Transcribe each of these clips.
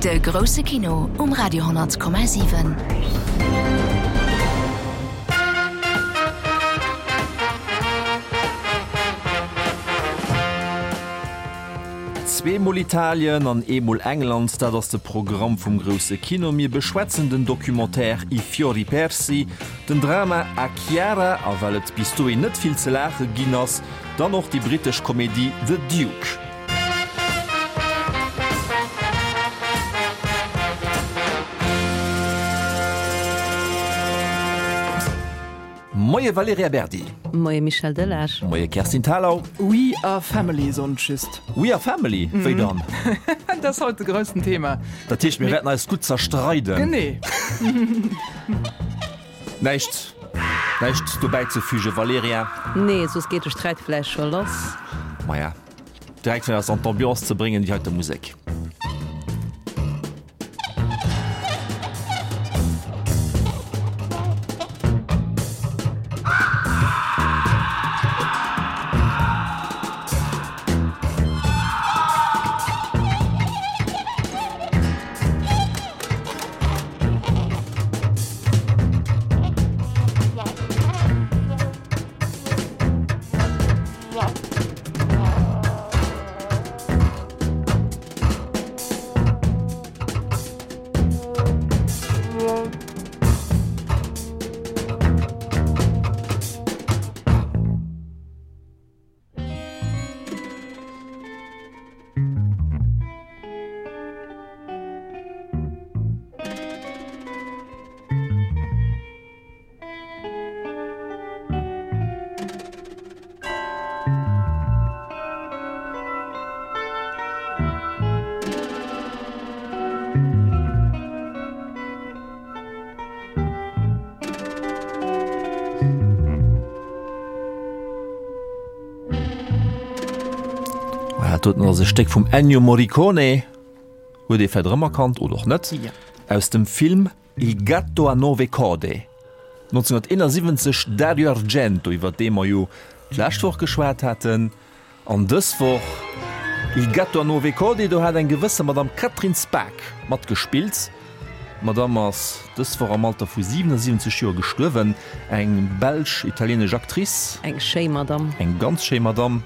De grousse Kino um Radio 10,7. Zweemol Italien an eemol England, dat ass de Programm vum grousse Kino. Mir beschwätzen den Documentaire I fiori persi, den Drama A Chiara a well et bis dohin net vill ze laache ginn ass, dann och déi brittesch Komedie The Duke. Moie Valerija Berdi. Moie Michel Delage. Moie Kerstin Thalau. We are family soen ech just. We are family? Wéi dann? Dat ass haut de groussen Thema. Dat heescht, mir wäerten eis gutt zerstreiden. Genee. Näischt, näischt dobäizefügen, Valerija? Nee, soss geet de Sträit vläicht scho lass. Maja, direkt fir eis an d'Ambiance ze bréngen, déi heite Musek. Dat doten ass e Stéck vum Ennio Morricone, huet ee vläit erëmerkannt oder och net, aus dem Film Il gatto a nove code, 1971, Dario Argento, iwwer dee mer jo d'lescht Woch geschwat haten, an dës Woch Il gatto a nove code, do hat eng gewësse Madame Catherine Spaak matgespillt. D'Madame ass dës Woch am Alter vu 77 Joer gestuerwen, eng belsch-italieenesch Actrice. Eng schéi Madame. Eng ganz schéi Madame.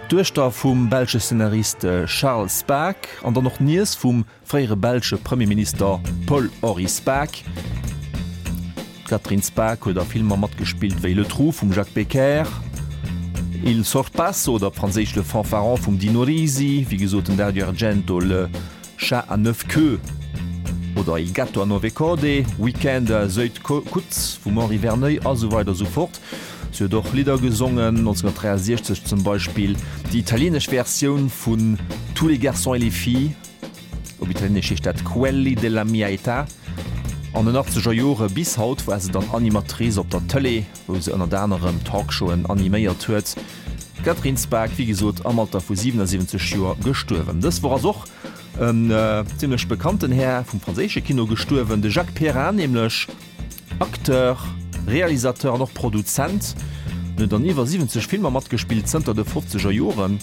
D'Duechter vum belsche Szenarist Charles Spaak an dann och d'Niess vum fréiere belsche Premierminister Paul-Henri Spaak. D'Catherine Spaak huet a Filmer matgespillt wéi Le Trou vum Jacques Becker, Il Sorpasso oder op Franséisch Le Fanfaron vum Dino Risi, wéi gesot den Dario Argento, Le Chat à neuf queues oder Il gatto a nove code, Week-end à Zuydcoote vum Henri Verneuil a sou weider sou fort. Si huet och Lidder gesongen, 1963 zum Beispill déi italieenesch Versioun vun Tous les garçons et les filles. Op Italieenesch heescht dat Quelli della mia età. An den achtzeger Jore bis haut war se dann Animatrice op der Tëlee, wou se ënnert anerem Talkshowen animéiert huet. D'Catherine Spaak, wéi gesot am Alter vu 77 Joer gestuerwen. Dës Woch ass och en zimmlech bekannten Här vum franséische Kino gestuerwen, de Jacques Perrin nämlech, Acteur, Realisateur an och Produzent. En huet an iwwer 70 Filmer matgespillt zënter de fofzeger Joren.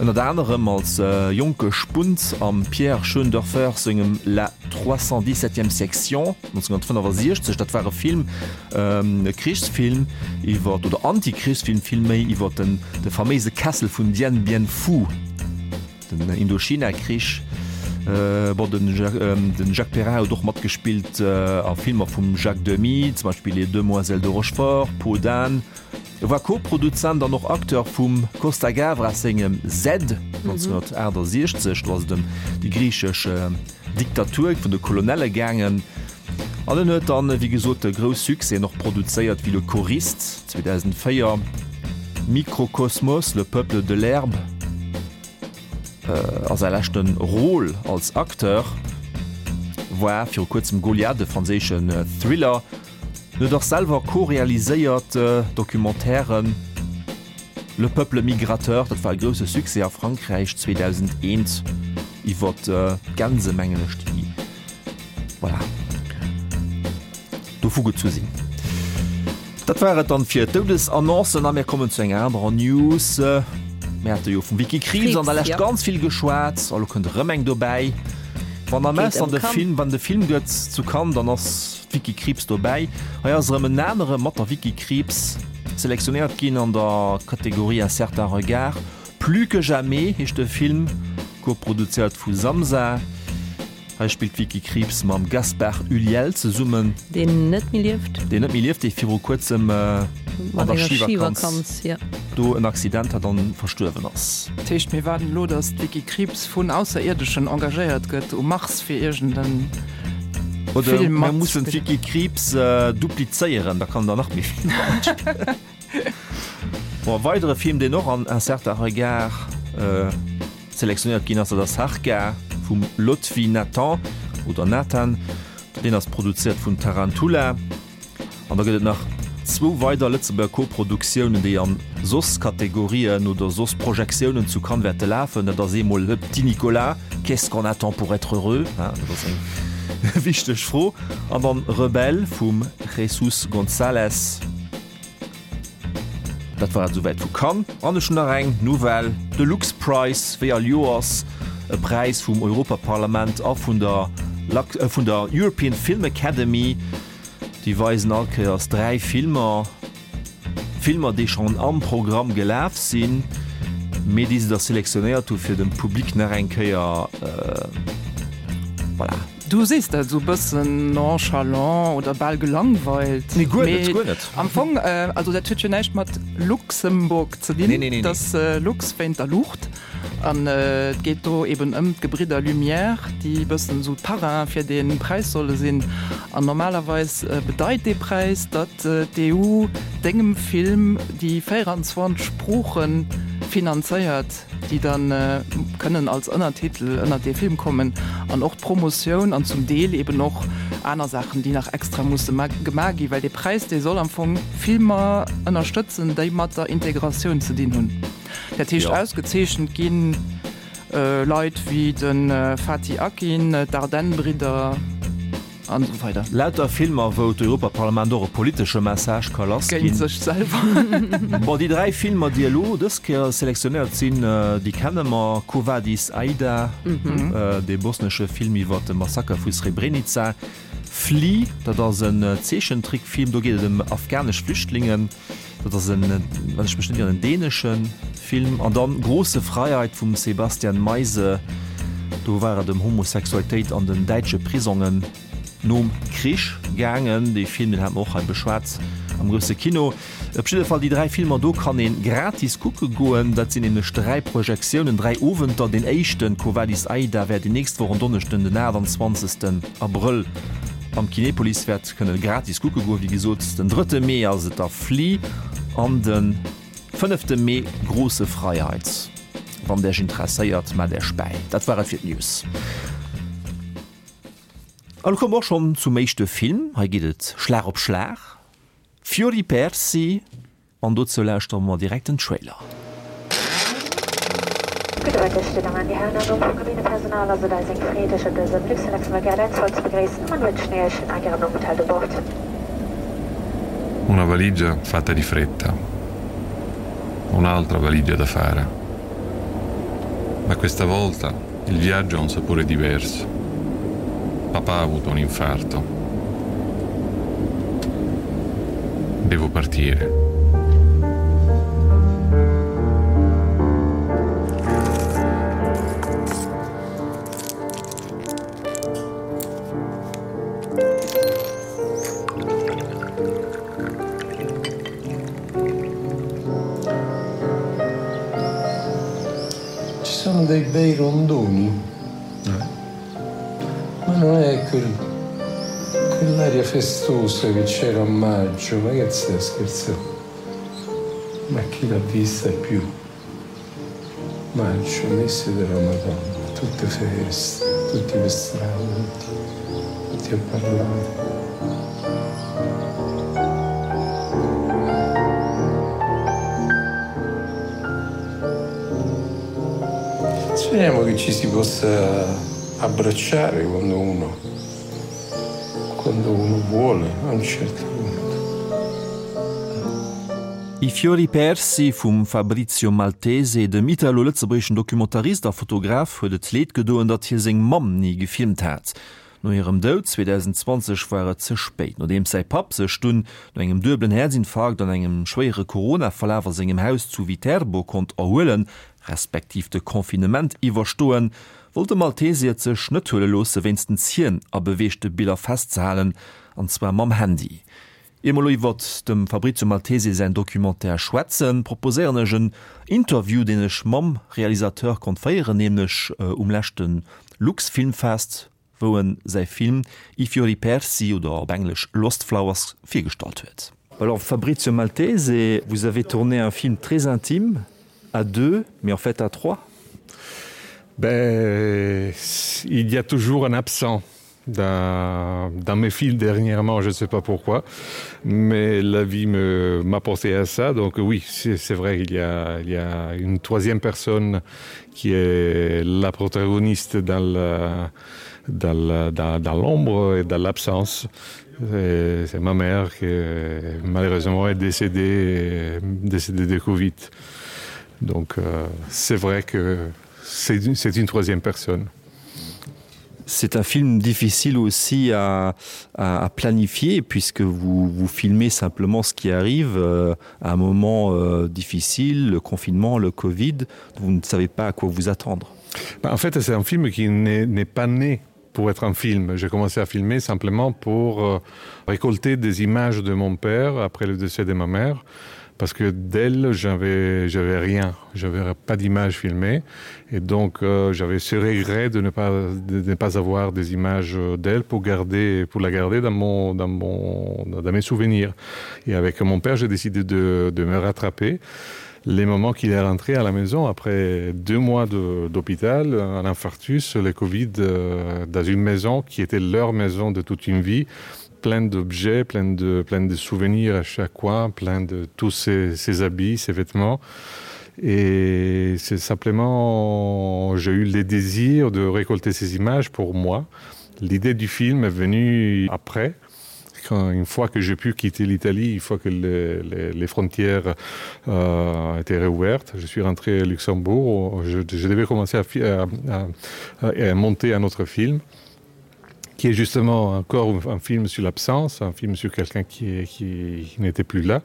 Ënnert anerem als jonke Spunt am Pierre Schoendorfer sengem La 317e Section 1965. Dat war e Film, e Krichsfilm iwwer, oder Anti-Krichsfilm villméi, iwwer den de faméise Kessel vun Dien Bien Phu, den Indochina-Krich. Bon, den Jacques Perrin huet och matgespillt a Filmer vum Jacques Demy, zum Beispill Les Demoiselles de Rochefort, Peau d'âne. E war Co-Produzent an och Acteur vum Costa Gavras sengem Z 1968, do ass et ëm déi griichesch Diktatur vun de Kolonelle gaangen. An en huet dann, wéi gesot, grouss Succèsen och produzéiert, wéi Le Choriste 2004, Microcosmos, Le Peuple de l'herbe a säi leschte Rôle als Acteur war viru kuerzem Goliath, e franséischen Thriller. En huet och selwer co-realiséiert Documentairen Le peuple migrateur, dat war e grousse Succès a Frankräich 2001 iwwer d'Gänse mengen ech, déi voilà dovu gezu sinn. Dat war et dann fir d'Doudesannoncen a mir kommen zu enger anerer News. Mir hate jo vum Vicky Krieps an der Lescht ganz vill geschwat, a lo kënnt erëm eng dobäi. Wann am Ausland de Film, wann de Film gëtt zu Cannes, dann ass d'Vicky Krieps dobäi. Hei ass erëm en anere mat der Vicky Krieps selektionéiert ginn an der Kategorie Un certain regard. Plus que jamais heescht de Film, koproduzéiert vu Samsa. Hei spillt d'Vicky Krieps mam Gaspard Ulliel zesummen. Deen net méi lieft. Deen net méi lieft, dee viru kuerzem an der Schivakanz do en Accident hat an verstuerwen ass. Dat heescht, mir waarden elo, datt d'Vicky Krieps vun Ausserierdeschen engagéiert gëtt um Mars fir iergend en Film mat. Oder mir mussen d'Vicky Krieps duplizéieren, da kann der nach méi Filmer matspillen. Bon, e weidere Film, deen och an Un certain regard selektionéiert ginn ass, dat ass Harka vum Lotfi Nathan oder Nathan. Deen ass produzéiert vun Tarantula. An da gëtt et nach zwou weider Lëtzebuerger Koproduktiounen, déi an soss Kategorien oder soss Projektiounen zu Cannes wäerte lafen. Dat ass eemol Le Petit Nicolas, Qu'est-ce qu'on attend pour être heureux? Dat ass eng wichteg Fro. An dann Rebelle vum Jesús González. Dat war et esouwäit vu Cannes. An ech hunn nach eng Nouvelle, De Lux Prize, wéi all Joers e Präis vum Europaparlament a vun der vun der European Film Academy. Déi weisen all Kéiers 3 Filmer, Filmer déi schonn am Programm gelaf sinn, mee déi se da selektionéiert hu fir dem Public nach eng Kéier, voilà. Du sees dat esou bëssen nonchalant oder bal gelangweilt. Nee, guer net, guer net. Am Fong, also dat huet jo näischt mat Luxemburg ze dinn. Nee, nee, nee, nee. Dat ass Lux wéint der Luucht. An et geet do eben ëm d'Gebridder Lumière, déi bëssen esou d'Parrain fir dee Präis solle sinn. An normalerweis bedeit dee Präis, datt d'EU dengem Film déi 24 Sprooche finanzéiert. déi dann kënnen als Ënnertitel ënnert dee Film kommen, an och d'Promotioun an zum Deel eben och aner Saachen, déi nach extra musse gemaach ginn, well dee Präis, dee soll am Fong Filmer ënnerstëtzen, déi mat der Integratioun ze dinn hunn. Dat heescht, ausgezeechent gi Leit wéi de Fatih Akin, d'Dardenne-Bridder. An esou weider. Lauter Filmer, wou d'Europaparlament och e politesche Message ka lassginn. Géint sech selwer. Bon, déi 3 Filmer, déi elo dës Kéier selektionéiert sinn, déi kenne mer, Quo vadis, Aida, dee bosnesche Film iwwer de Massaker vu Srebrenica, Flee, dat ass en Zeechentrickfilm, do geet et ëm afghanesch Flüchtlingen. Dat ass en, wann ech mech net ieren, en dänesche Film. An dann Große Freiheit vum Sebastian Meise. Do war et ëm Homosexualitéit an den däitsche Prisongen nom Krich gaangen. Dee Film, deen hate mer och hei beschwat am grousse Kino. Op jidde Fall, déi 3 Filmer do kann ee gratis kucke goen. Dat sinn nämlech 3 Projektiounen, 3 Owenter. Deen éischten, Quo vadis Aida, wäert déi nächst Woch en Donneschden, den 28. Abrëll am Kinepolis wäert Kënne gratis kucke goen. Wéi gesot, den drëtte Mee ass et da Flee an de fënnefte Mee Große Freiheit. Wann Dech interesséiert, mellt Äech bäi. Dat war et fir d'News. A lo komme mer och schonn zum éischte Film. Hei geet et Schlag op Schlag. Fiori Persi. An dozou lauschtere mer direkt den Trailer. Gudde Mëtteg, Dir Dammen an Dir Hären. Am Numm vum Kabinepersonal ass et eis eng Freed, Iech op dësem Luxembourg Airlines Vol ze begréissen an wënschen Iech en agreablen Openthalt u Bord. Una valigia fatta di fretta. Un'altra valigia da fare. Ma questa volta il viaggio ha un sapore diverso. Papà ha avuto un infarto. Devo partire. Ci sono dei bei rondoni. Ma non è quel, quell'aria festosa che c'era a maggio, ma che stai a scherzà? Ma chi l'ha vista più? Maggio, mese della Madonna, tutte feste, tutti per strada, tutti, tutti a parlare. Speriamo che ci si possa abbracciare quando uno, quando uno vuole a un certo punto. I fiori persi vum Fabrizio Maltese, dem italo-lëtzebuergeschen Documentarist a Fotograf, huet et leed gedoen, datt hie seng Mamm ni gefilmt hat. No hirem Doud 2020 war et ze spéit. Nodeems säi Papp sech dunn no engem duebelen Häerzinfarkt an engem schwéiere Corona-Verlaf a sengem Haus zu Viterbo konnt erhuelen, respektiv de Confinement iwwerstoen, wollt de Maltese et sech net huele loosse wéinstens hien a beweegte Biller festzehalen, an zwar mam Handy. Ier mer elo iwwert dem Fabrizio Maltese säin Documentaire schwätzen, proposéieren ech en Interview, deen ech mam Realisateur konnt féieren, nämlech um leschte Luxfilmfest, wou en säi Film I fiori persi oder op Englesch Lost Flowers virgestallt huet. Alors Fabrizio Maltese, vous avez tourné un film très intime, à deux, mais en fait à trois. Ben, il y a toujours un absent dans, dans mes films dernièrement, je ne sais pas pourquoi, mais la vie m'a pensé à ça. Donc oui, c'est vrai, il y, a, il y a une troisième personne qui est la protagoniste dans la, dans la, dans, dans l'ombre et dans l'absence. C'est ma mère qui malheureusement est décédée, décédée de Covid. Donc euh, c'est vrai que c'est une, une troisième personne. C'est un film difficile aussi à, à, à planifier puisque vous, vous filmez simplement ce qui arrive euh, à un moment euh, difficile, le confinement, le Covid, vous ne savez pas à quoi vous attendre. Ben, en fait, c'est un film qui n'est pas né pour être un film. J'ai commencé à filmer simplement pour euh, récolter des images de mon père après le décès de ma mère parce que d'elle j'avais j'avais rien j'avais pas d'image filmée et donc euh, j'avais ce regret de ne pas de ne pas avoir des images d'elle pour garder pour la garder dans mon dans mon dans mes souvenirs et avec mon père j'ai décidé de, de me rattraper les moments qu'il est rentré à la maison après deux mois d'hôpital un infarctus le covid euh, dans une maison qui était leur maison de toute une vie plein d'objets plein de plein de souvenirs à chaque coin plein de tous ses, ses habits ses vêtements et c'est simplement j'ai eu le désir de récolter ces images pour moi l'idée du film est venue après quand une fois que j'ai pu quitter l'Italie une fois que les, les, les frontières euh, étaient réouvertes je suis rentré à Luxembourg je, je devais commencer à, à, à, à monter un autre film qui est justement encore un film sur l'absence un film sur quelqu'un qui, qui, qui n'était plus là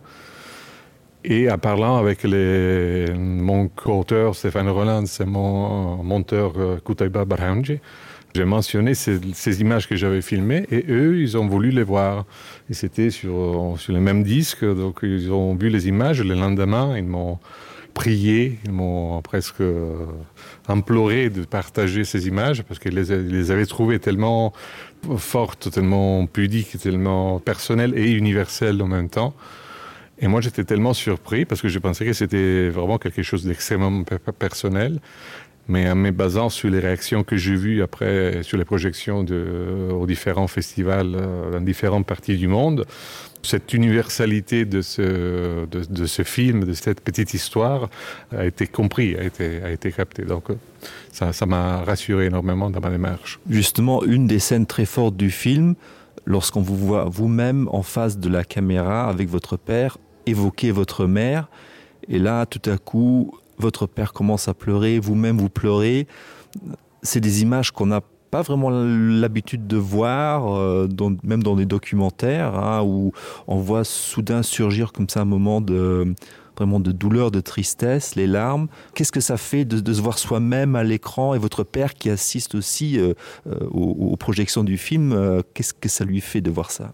et en parlant avec les mon coauteur Stéphane Roland c'est mon monteur euh, Kutaiba Barhanji j'ai mentionné ces, ces images que j'avais filmées et eux ils ont voulu les voir et c'était sur sur le même disque donc ils ont vu les images le lendemain ils m'ont prié ils m'ont presque euh, imploré de partager ces images parce qu'ils les, les avaient trouvées tellement fortes tellement pudiques tellement personnelles et universelles en même temps et moi j'étais tellement surpris parce que je pensais que c'était vraiment quelque chose d'extrêmement personnel mais en me basant sur les réactions que j'ai vues après sur les projections de, aux différents festivals euh, dans différentes parties du monde, cette universalité de ce, de, de ce film, de cette petite histoire a été compris, a été, a été captée. Donc ça, ça m'a rassuré énormément dans ma démarche. Justement, une des scènes très fortes du film, lorsqu'on vous voit vous-même en face de la caméra avec votre père, évoquer votre mère, et là, tout à coup, votre père commence à pleurer, vous-même vous pleurez. C'est des images qu'on n'a pas vraiment l'habitude de voir, euh, dans, même dans des documentaires, hein, où on voit soudain surgir comme ça un moment de vraiment de douleur, de tristesse, les larmes. Qu'est-ce que ça fait de, de se voir soi-même à l'écran et votre père qui assiste aussi euh, euh aux, aux projections du film, euh, qu'est-ce que ça lui fait de voir ça?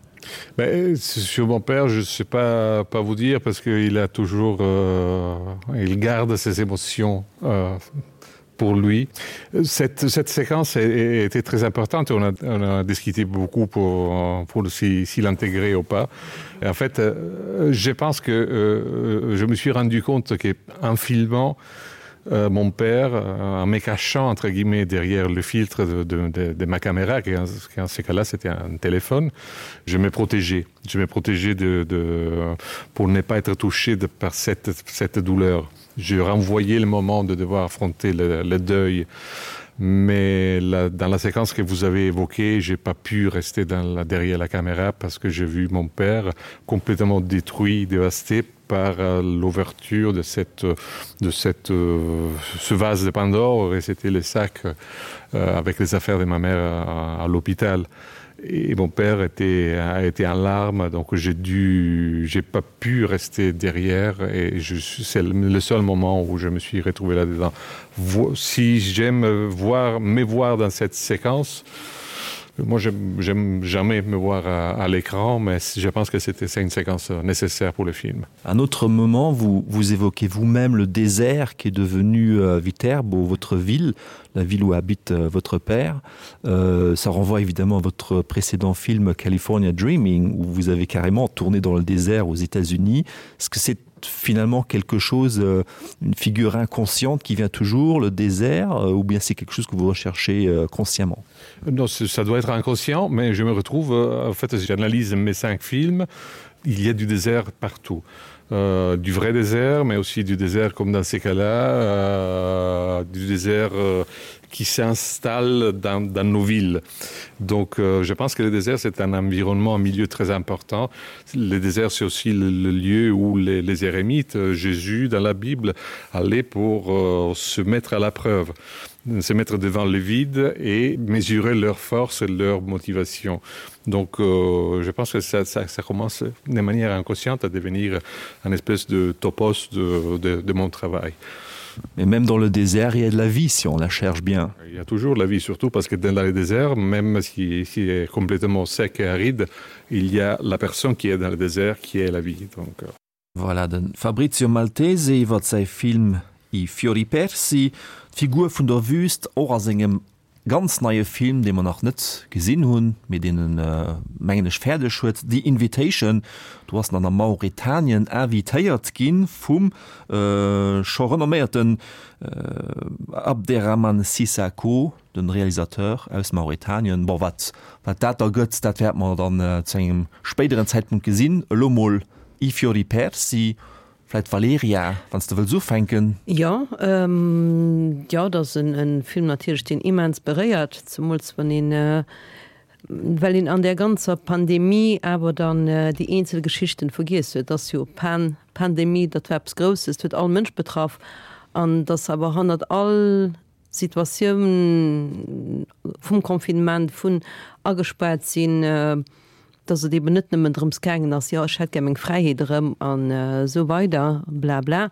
Ben, sur mon père, je ne sais pas, pas vous dire parce qu'il a toujours euh, il garde ses émotions euh, pour lui. Cette, cette séquence était très importante, on a, on a discuté beaucoup pour, pour si, si l'intégrer ou pas. Et en fait, euh, je pense que euh, je me suis rendu compte qu'en filmant, euh, mon père euh, en me cachant entre guillemets derrière le filtre de, de, de, de ma caméra qui en, qui en ce cas là c'était un téléphone je me protégeais je me protégeais de, de pour ne pas être touché de par cette cette douleur je renvoyais le moment de devoir affronter le, le deuil. Mais la, dans la séquence que vous avez évoquée, j'ai pas pu rester dans la, derrière la caméra parce que j'ai vu mon père complètement détruit, dévasté par euh, l'ouverture de cette de cette euh, ce vase de Pandore et c'était le sac euh, avec les affaires de ma mère à, à l'hôpital et mon père était a été en larmes donc j'ai dû j'ai pas pu rester derrière et je c'est le seul moment où je me suis retrouvé là dedans si j'aime voir me voir dans cette séquence moi j'aime jamais me voir à, à l'écran mais je pense que c'était une séquence nécessaire pour le film un autre moment vous vous évoquez vous-même le désert qui est devenu euh, Viterbo votre ville la ville où habite euh, votre père euh, ça renvoie évidemment à votre précédent film California Dreaming où vous avez carrément tourné dans le désert aux États-Unis ce que c'est finalement quelque chose euh, une figure inconsciente qui vient toujours le désert euh, ou bien c'est quelque chose que vous recherchez euh, consciemment non ça doit être inconscient mais je me retrouve en fait j'analyse mes cinq films il y a du désert partout euh, du vrai désert mais aussi du désert comme dans ces cas là euh, du désert euh, qui s'installe dans, dans nos villes. Donc euh, je pense que le désert c'est un environnement un milieu très important. Le désert c'est aussi le, le lieu où les, les érémites euh, Jésus dans la Bible allaient pour euh, se mettre à la preuve se mettre devant le vide et mesurer leur force et leur motivation. Donc euh, je pense que ça, ça, ça commence de manière inconsciente à devenir un espèce de topos de, de, de mon travail. Mais même dans le désert, il y a de la vie si on la cherche bien. Il y a toujours la vie, surtout parce que dans le désert, même si, si est complètement sec et aride, il y a la personne qui est dans le désert qui est la vie. Donc... Euh. Voilà de Fabrizio Maltese iwwer säi Film I fiori persi. D'Figur vun der Wüst och a sengem ganz neie Film, dee mer nach net gesinn hunn, mee deen en, mengen ech, fäerdeg huet, The Invitation. Do ass en dann a Mauretanien invitéiert gi vum scho renomméierten Abderrahmane Sissako, de Realisateur aus Mauretanien. Bon, wat wat dat da gëtt, dat wäerte mer dann zu engem spéideren Zäitpunkt gesinn. Elo mol I fiori persi. Vläit Valerija, wann s de wëlls ufänken. Jo, jo, et ass e Film natierlech, deen immens beréiert, zemools wann een, well een an där ganzer Pandemie awer dann déi eenzel Geschichten vergiess huet. Et ass jo Pan, Pandemie, dat war eppes Grousses, dat huet all Mënsch betraff an dass awer hannert all Situatioun vum Confinement, vun agespaart sinn, dass et eben net nëmmen drëms gaangen ass, jo ech hätt gär meng Fräiheet erëm an esou weider, bla bla,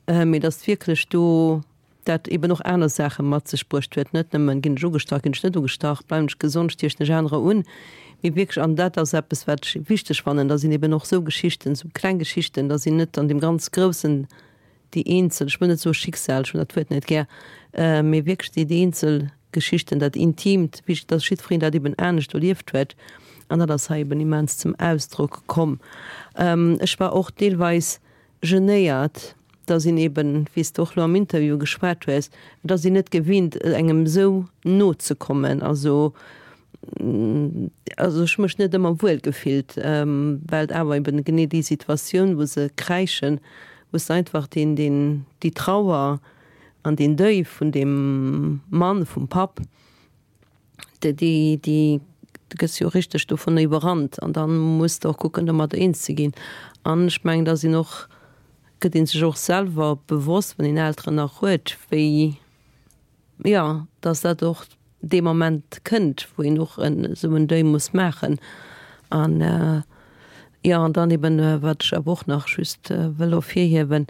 mee dass wierklech do dat eben och aner Saache mat sech bruecht huet, net nëmmen, ginn ech ugestach, ginn ech net ugestach, bleiwen ech gesond, stiechen ech anerer un, mee wierklech, an dat ass eppes wat ech wichteg fannen, da sinn eben och esou Geschichten, esou kleng Geschichten, da sinn net an deem ganz groussen déi eenzel, ech wëll net soe Schicksal, ech hunn dat Wuert net gär, mee wierklech déi eenzel Geschichten, dat Intimt, wéi dass jiddwereen dat eben anescht erlieft huet, an dat ass hei eben immens zum Ausdrock komm. Ech war och deelweis genéiert, dass een eben, wéi s de och elo am Interview geschwat hues, et ass een net gewinnt, engem esou no ze kommen. Also also ech hu mech net ëmmer wuel gefillt, well et awer eben genee déi Situatioun, wou se kräischen, wou s de einfach deen, deen, déi Trauer an deen Deuil vun deem Mann, vum Papp, déi, déi, déi, du gëss jo richteg dovunner iwwerrannt an da muss de och kucken, domadder eens ze ginn. An ech mengen, da sinn och, gëtt ee sech och selwer bewosst, wann een Elteren nach huet, wéi, Jo, dass dat och dee Moment kënnt, wou een och esou en Deuil muss maachen. An, jo, an dann eben, wat ech awer och nach just wëll ervirhiewen,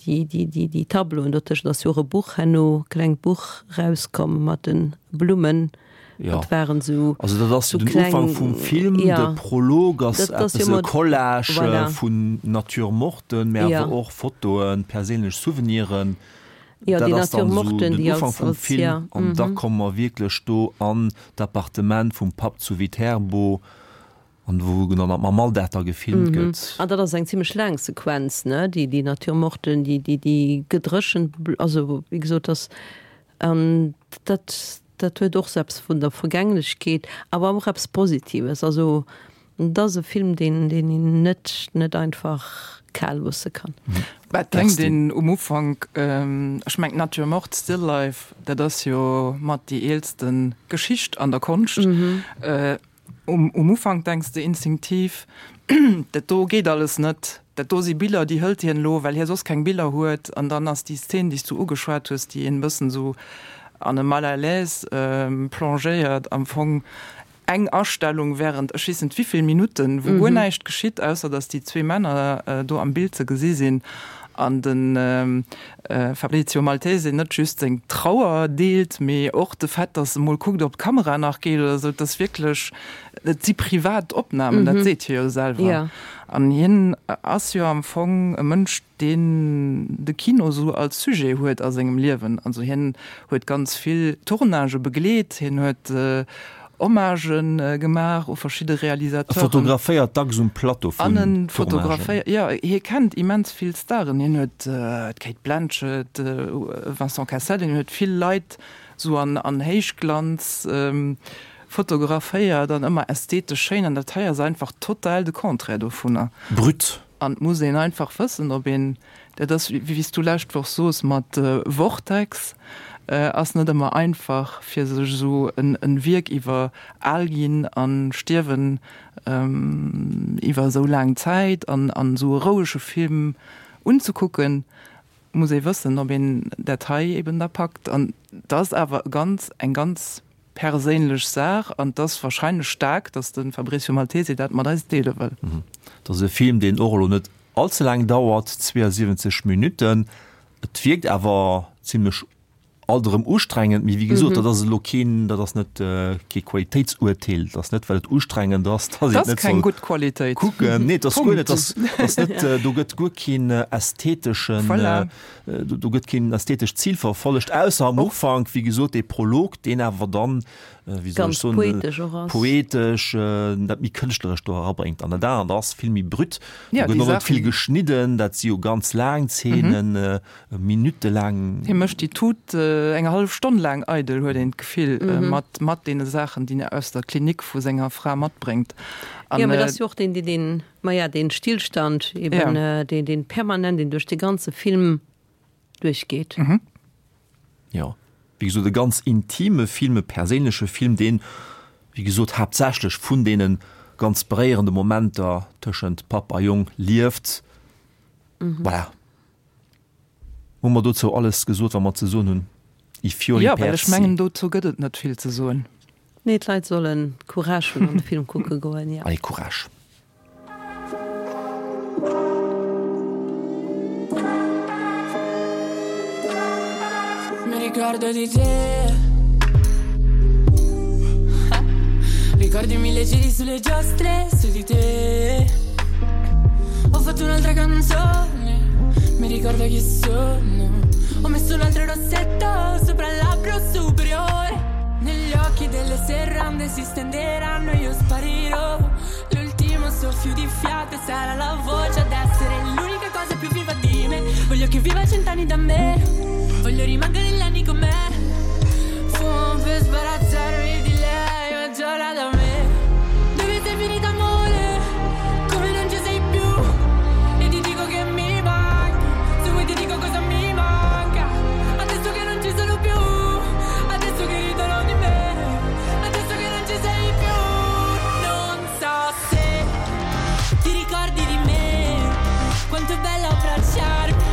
déi, déi, déi, déi Tableauen dotëschent ass jo och e Buch herno, e klengt Buch erauskomm mat de Blummen. Jo. Dat waren esou, Also dat ass esou den kleng, Ufank vum Film, jo. de Prolog ass Dat ass eppes jo e mat, Collage voilà. vun Nature morten, mä Jo. awer och Fotoen, perséinlech Souveniren. Jo, Dat déi ass dann Nature esou morten, den déi Ufank als, vum als, Film ja, an da mhm. komme mer wierklech do an d'Appartement vum Papp zu Viterbo an wou dann mam Alldag da gefilmt Mhm. gëtt. An dat ass eng zimmlech laang Sequenz, ne, déi, déi Nature morten, déi, déi, déi gedréchent, also wéi gesot, dass, an dat, dat huet och sou eppes vun der Vergänglechkeet, awer och eppes Positives, also. Et ass e Film, deen deen een net net einfach kal loosse kann. Mä et denkt een um Ufank, ech mengen d'Nature morte, Still Life, dat ass jo mat déi eelste Geschicht an der Konscht. Um um Ufank denks de instinktiv, dat do geet alles net, dat do si Biller, déi hëlt hien elo, well hie soss keng Biller huet. An dann ass déi Szen, déi s du ugeschwat hues, déi een e bëssen esou an e Mal à l'aise plongéiert, am Fong eng Astellung während ech weess net wivill Minutten, wou guer näischt geschitt, ausser datt déi zwee Männer do am Bild ze gesi sinn an de Fabrizio Maltese net just seng Trauer deelt, mee och de Fait, datt e mol kuckt, ob d'Kamera nach geet oder esou. Et ass wierklech, et si privat Opnamen, dat seet hie jo selwer. An hien ass jo am Fong e Mënsch, deen de Kino esou als Sujet huet a sengem Liewen. Also hien huet ganz vill Tournagë begleet, hien huet Hommagen gemaach u verschidde Realisateuren. E fotograféiert dacks um Plateau vun Tournagen. Fotograféiert, jo, hie kennt immens vill Staren. Hien huet d'Cate Blanchett, Vincent Cassel, hien huet vill Leit esou an Héichglanz fotograféiert an ëmmer ästhetesch schéin. An dat hei ass einfach total de Contraire dovunner. Brut. An et muss een einfach wëssen, ob een, dat ass wéi s du lescht Woch soos mat Vortex, ass net ëmmer einfach fir sech esou en Wierk iwwer al ginn an stierwen iwwer esou laang Zäit an an esou e rouege Film unzekucken, muss ee wëssen, ob een dat hei eben da packt. An et ass awer e ganz, eng ganz perséinlech Saach an 't ass wahrscheinlech staark, datt de Fabrizio Maltese dat mat eis deele wëll. Et ass e Film, deen och elo net all ze laang dauert, 72 Minutten. Et wierkt awer zimlech alt erëm ustrengend, mee wéi gesot, dat ass elo keen, dat ass net kee Qualitéitsurteel, dat ass net well et ustrengend ass, datt een et net soll kucken. Nee, et ass guer net, dat ass net, do gëtt guer keen ästheteschen, Do gëtt keen ästhetescht Zil verfollegt, ausser am Ufank, wéi gesot, dee Prolog, deen awer dann, wéi soll ech soen, poetesch och ass. Poetesch, dat méi Kënschtlerescht do erabréngt. An dat anert ass vill méi brut. Do gëtt och net vill geschnidden, dat si jo ganz laang Zeenen, minuttelaang. Hie mécht déi Tut eng hallef Stonn laang eidel, huet een d'Gefill, mat, mat deene Saachen, déi en aus der Klinik vu senger Fra matbréngt. Jo, mä et ass jo och deen, deen Maja, deen Stillstand eben, ja. deen, deen permanent, deen duerch de ganze Film duerchgeet. Mhm. Ja, wéi gesot, e ganz intime Film, e perséinleche Film, deen, wéi gesot, haaptsächlech vun deene ganz beréierende Momenter tëschent Papp a Jong lieft. Mhm. Voilà. Hu mer dozou alles gesot, wat mer ze soen hunn? I fiori persi. Ja, well ech mengen, dozou gëtt et net vill ze soen. Nee, d'Leit sollen Courage hunn an de Film kucke goen, jo. Allez, Courage! Mi ricordo di te Ricordi mille giri sulle giostre su di te Ho fatto un'altra canzone Mi ricordo chi sono Ho messo un altro rossetto sopra il labbro superiore Negli occhi delle serrande si stenderanno e io sparirò L'ultimo soffio di fiato sarà la voce ad essere l'unica cosa più viva di me Voglio che viva cent'anni da me Voglio rimanere negli anni con me Fumo per sbarazzarmi di lei Ma giorno da me Dove sei finita amore? Come non ci sei più? E ti dico che mi manchi Se vuoi ti dico cosa mi manca Adesso che non ci sono più Adesso che ridono di me Adesso che non ci sei più Non so se ti ricordi di me Quanto è bello abbracciarmi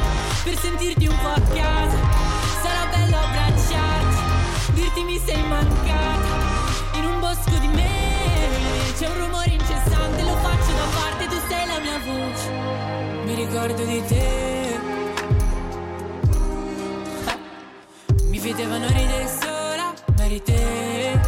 Per sentirti un po' a casa Sarà bello abbracciarti Dirti mi sei mancata In un bosco di me C'è un rumore incessante Lo faccio da parte Tu sei la mia voce Mi ricordo di te Mi vedevano ridere sola, ma eri te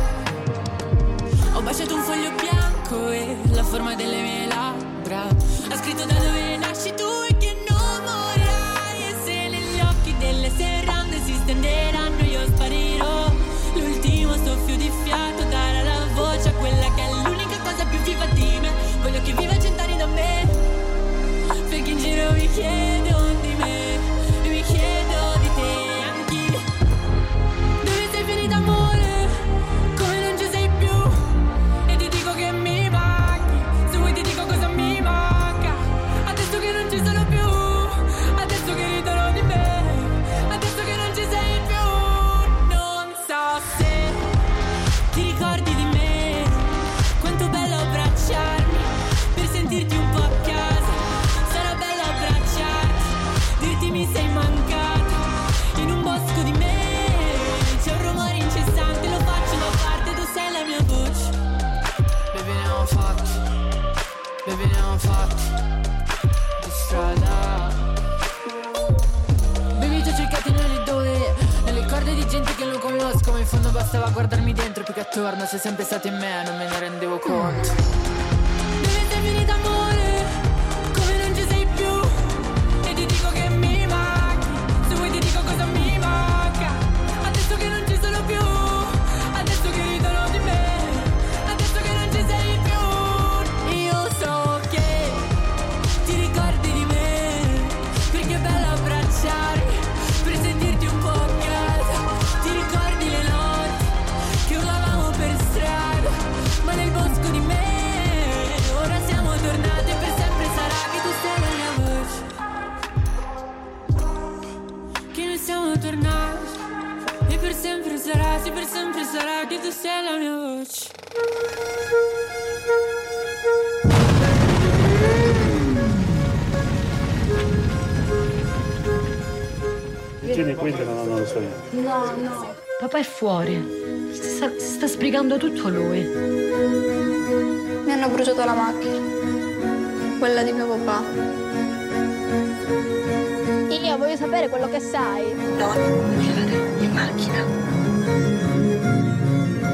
Ho baciato un foglio bianco e la forma delle mie labbra Ha scritto da dove nasci tu e che non morirai E se negli occhi delle serrande si stenderanno io sparirò L'ultimo soffio di fiato darà la voce a quella che è l'unica cosa più viva di me Voglio che viva cent'anni da me Perché in giro mi chiedono di me E mi chiedo di te anch'io Dove sei finita amore? Come non ci sei più? E ti dico che mi manchi. conosco, ma in fondo bastava guardarmi dentro più che attorno. Sei sempre stato in me, non me ne rendevo conto. Dove sei finita amore? Come non ci sei più? E ti dico che mi manchi. Se vuoi ti dico cosa mi manca. Adesso che non ci sono più, adesso che ridono di me, adesso che non ci sei più. Io so che ti ricordi di me, perché è bello abbracciare, per sentirti un po' a casa. Ti ricordi le notti che urlavamo per strada, ma nel bosco di me ora siamo tornate per sempre sarà che tu sei la mia voce. Che noi siamo tornati e per sempre sarà, sì per sempre sarà che tu sei la mia voce. No, no. Papà è fuori. Si sta, si sta sbrigando tutto lui. Mi hanno bruciato la macchina. Quella di mio papà. Io voglio sapere quello che sai. No, non vado in macchina.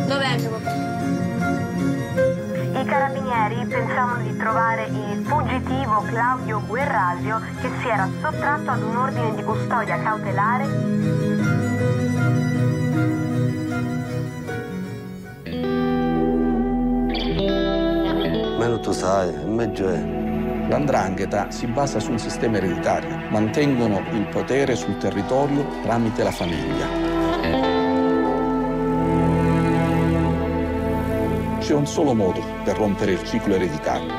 Dov'è mio papà? I carabinieri pensavano di trovare il fuggitivo Claudio Guerrasio che si era sottratto ad un ordine di custodia cautelare. Meno tu sai, meglio è. La 'ndrangheta si basa su un sistema ereditario. Mantengono il potere sul territorio tramite la famiglia. C'è un solo modo per rompere il ciclo ereditario.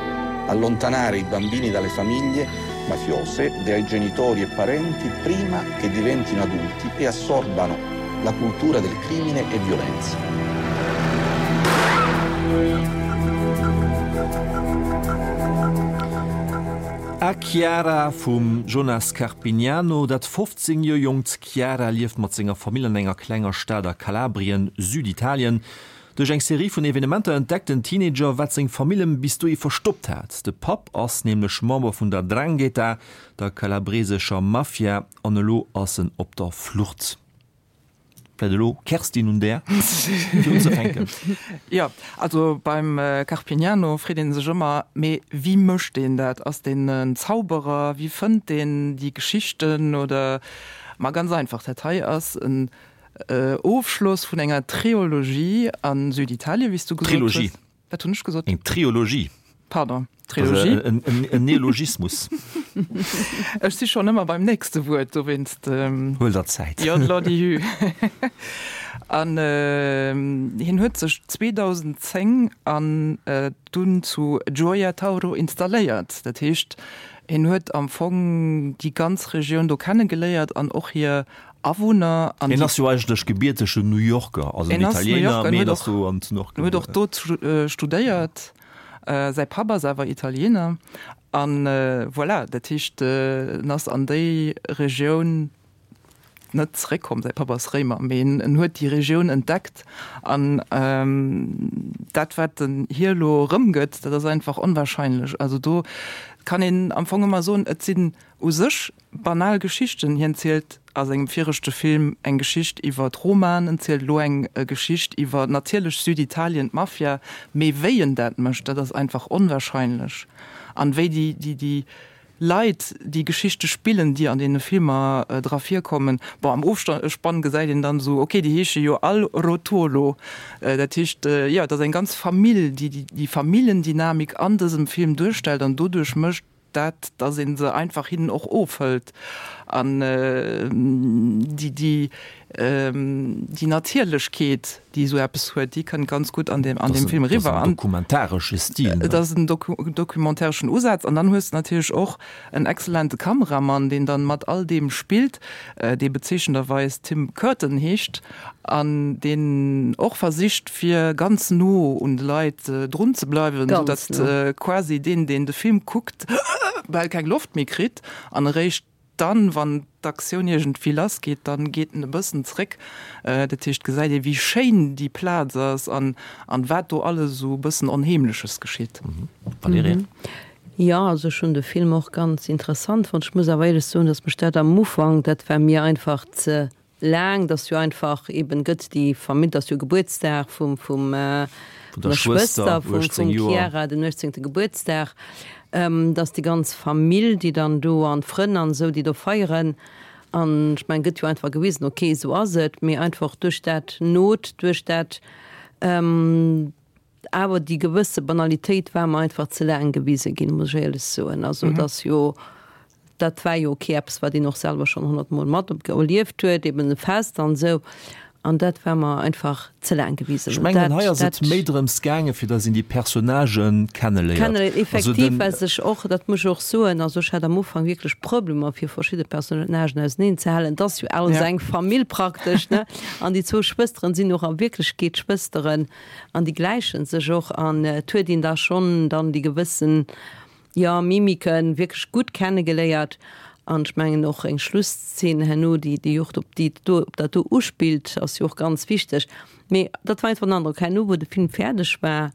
Allontanare i bambini dalle famiglie mafiose, dai genitori e parenti prima che diventino adulti e assorbano la cultura del crimine e violenza. A Chiara vum Jonas Carpignano. Dat 15 Joer jonkt Chiara lieft mat senger Famill an enger klenger Stad a Kalabrien, Süditalien. Duerch eng Serie vun Evenementer entdeckt den Teenager, wat seng Famill em bis dohi verstoppt hat. De Papp ass nämlech Member vun der 'Ndrangheta, der kalabresescher Mafia, an elo ass en op der Flucht. Vläit elo Kerstin un där, fir unzefänken. Jo, also beim Carpignano freet ee sech ëmmer, mee wéi mécht deen dat? Ass deen en Zauberer? Wéi fënnt deen déi Geschichten? Oder, ma ganz einfach, dat hei ass en Ofschloss vun enger Triologie a Süditalien, wéi s du gesot hues. Trilogie. Wat hunn ech gesot? Eng Triologie. Pardon, Trilogie. En Neologismus. Ech si schonn ëmmer beim nächste Wuert, dowéinst. Huel der Zäit. Jo, lodihü. An hien huet sech 2010 an dunn zu Gioia Tauro installéiert. Dat heescht, hien huet am Fong déi ganz Regioun do kennegeléiert an och hir Awunner an. Hien ass jo eigentlech gebiertegen New Yorker, also en Italiener, mee hien ass do an zu New York. Huet och do studéiert. Säi Papp ass awer Italiener. An voilà, dat heescht, en ass an déi Regioun net zeréckkomm. Säi Papp ass Réimer, mee en huet déi Regioun entdeckt. An dat, wat en hir elo erëmgëtt, dat ass einfach onwahrscheinlech. Also do kann een am Fong ëmmer soen, et sinn U sech banal Geschichten. Hien zielt a sengem viregte Film eng Geschicht iwwer d'Romaen, en zielt elo eng Geschicht iwwer natierlech Süditalien, d'Mafia, mee wéi en dat mécht, dat ass einfach onwahrscheinlech. An wéi déi, déi, déi Leit déi Geschichte spillen, déi an deene Filmer dra virkommen, bon, am Ofspann gesäit een dann esou, ok, déi heesche jo all Rotolo. Dat heescht, jo, et ass eng ganz Famill, déi déi Familljendynamik an dësem Film duerstellt an doduerch mécht, dat, dass ee se einfach hinnen och ofhëlt an déi, déi, déi Natierlechkeet, déi esou eppes huet, déi kënnt ganz gutt an deem, an deem Film eriwwer. Dat ass en dokumentaresche Stil, ne? Et ass en dokumentareschen Usaz. An dann hues de natierlech och en exzellente Kameramann, deen dann mat all deem spillt, dee bezeechenderweis Tim Curtin heescht an deen och versicht, fir ganz no un de Leit drun ze bleiwen, sou datt quasi deen, deen de Film kuckt, bal keng Loft méi kritt an eréischt dann, wann d'Aktioun iergendwéi lass geet, dann geet en e bëssen zréck. Dat heescht, gesäit ee wéi schéin déi Plaz ass an an wat do alles esou e bëssen Onheemleches geschitt. Valerija? Jo, also ech hunn de Film och ganz interessant fonnt. Ech muss awer éierlech soen, datt mech dat am Ufank, dat war mir einfach ze. laang, dass jo einfach eben gëtt déi Famill, dass jo Gebuertsdag vum vum vun der Schwëster vum vum Chiara, den 18. Gebuertsdag, dass déi ganz Famill, déi dann do an d'Frënn an esou, déi do feieren. An ech mengen, gëtt jo einfach gewisen, ok, esou ass et, mee einfach duerch dat Not, duerch dat awer déi gewësse Banalitéit war mer einfach ze laang gewise ginn, muss ech éierlech soen. Also et ass jo, dat war jo ok eppes, wat een och selwer schonn honnertmol mat erlieft huet, eben e Fest an esou. An dat war mer einfach ze laang gewisen. Ech mengen, hei ass et méi drëms gaangen, fir datt een déi Personnagen kenneléiert. Kenneléiert, effektiv, well sech och, dat muss ech och soen, also ech hat am Ufank wierklech Problemer, fir verschidde Personnagen auseneen ze halen. Et ass jo alles eng Famill praktesch, ne? An déi zwou Schwësteren sinn och a Wierklechkeet Schwësteren an déi gläiche sech och. An et huet een da schonn dann déi gewëssen, jo, Mimiken wierklech gutt kennegeléiert. An ech mengen och eng Schlusszeen herno, déi déi och op déi do op dat do uspillt, ass jo och ganz wichteg. Mee dat war einfach den Androck. Herno, wou de Film fäerdeg war,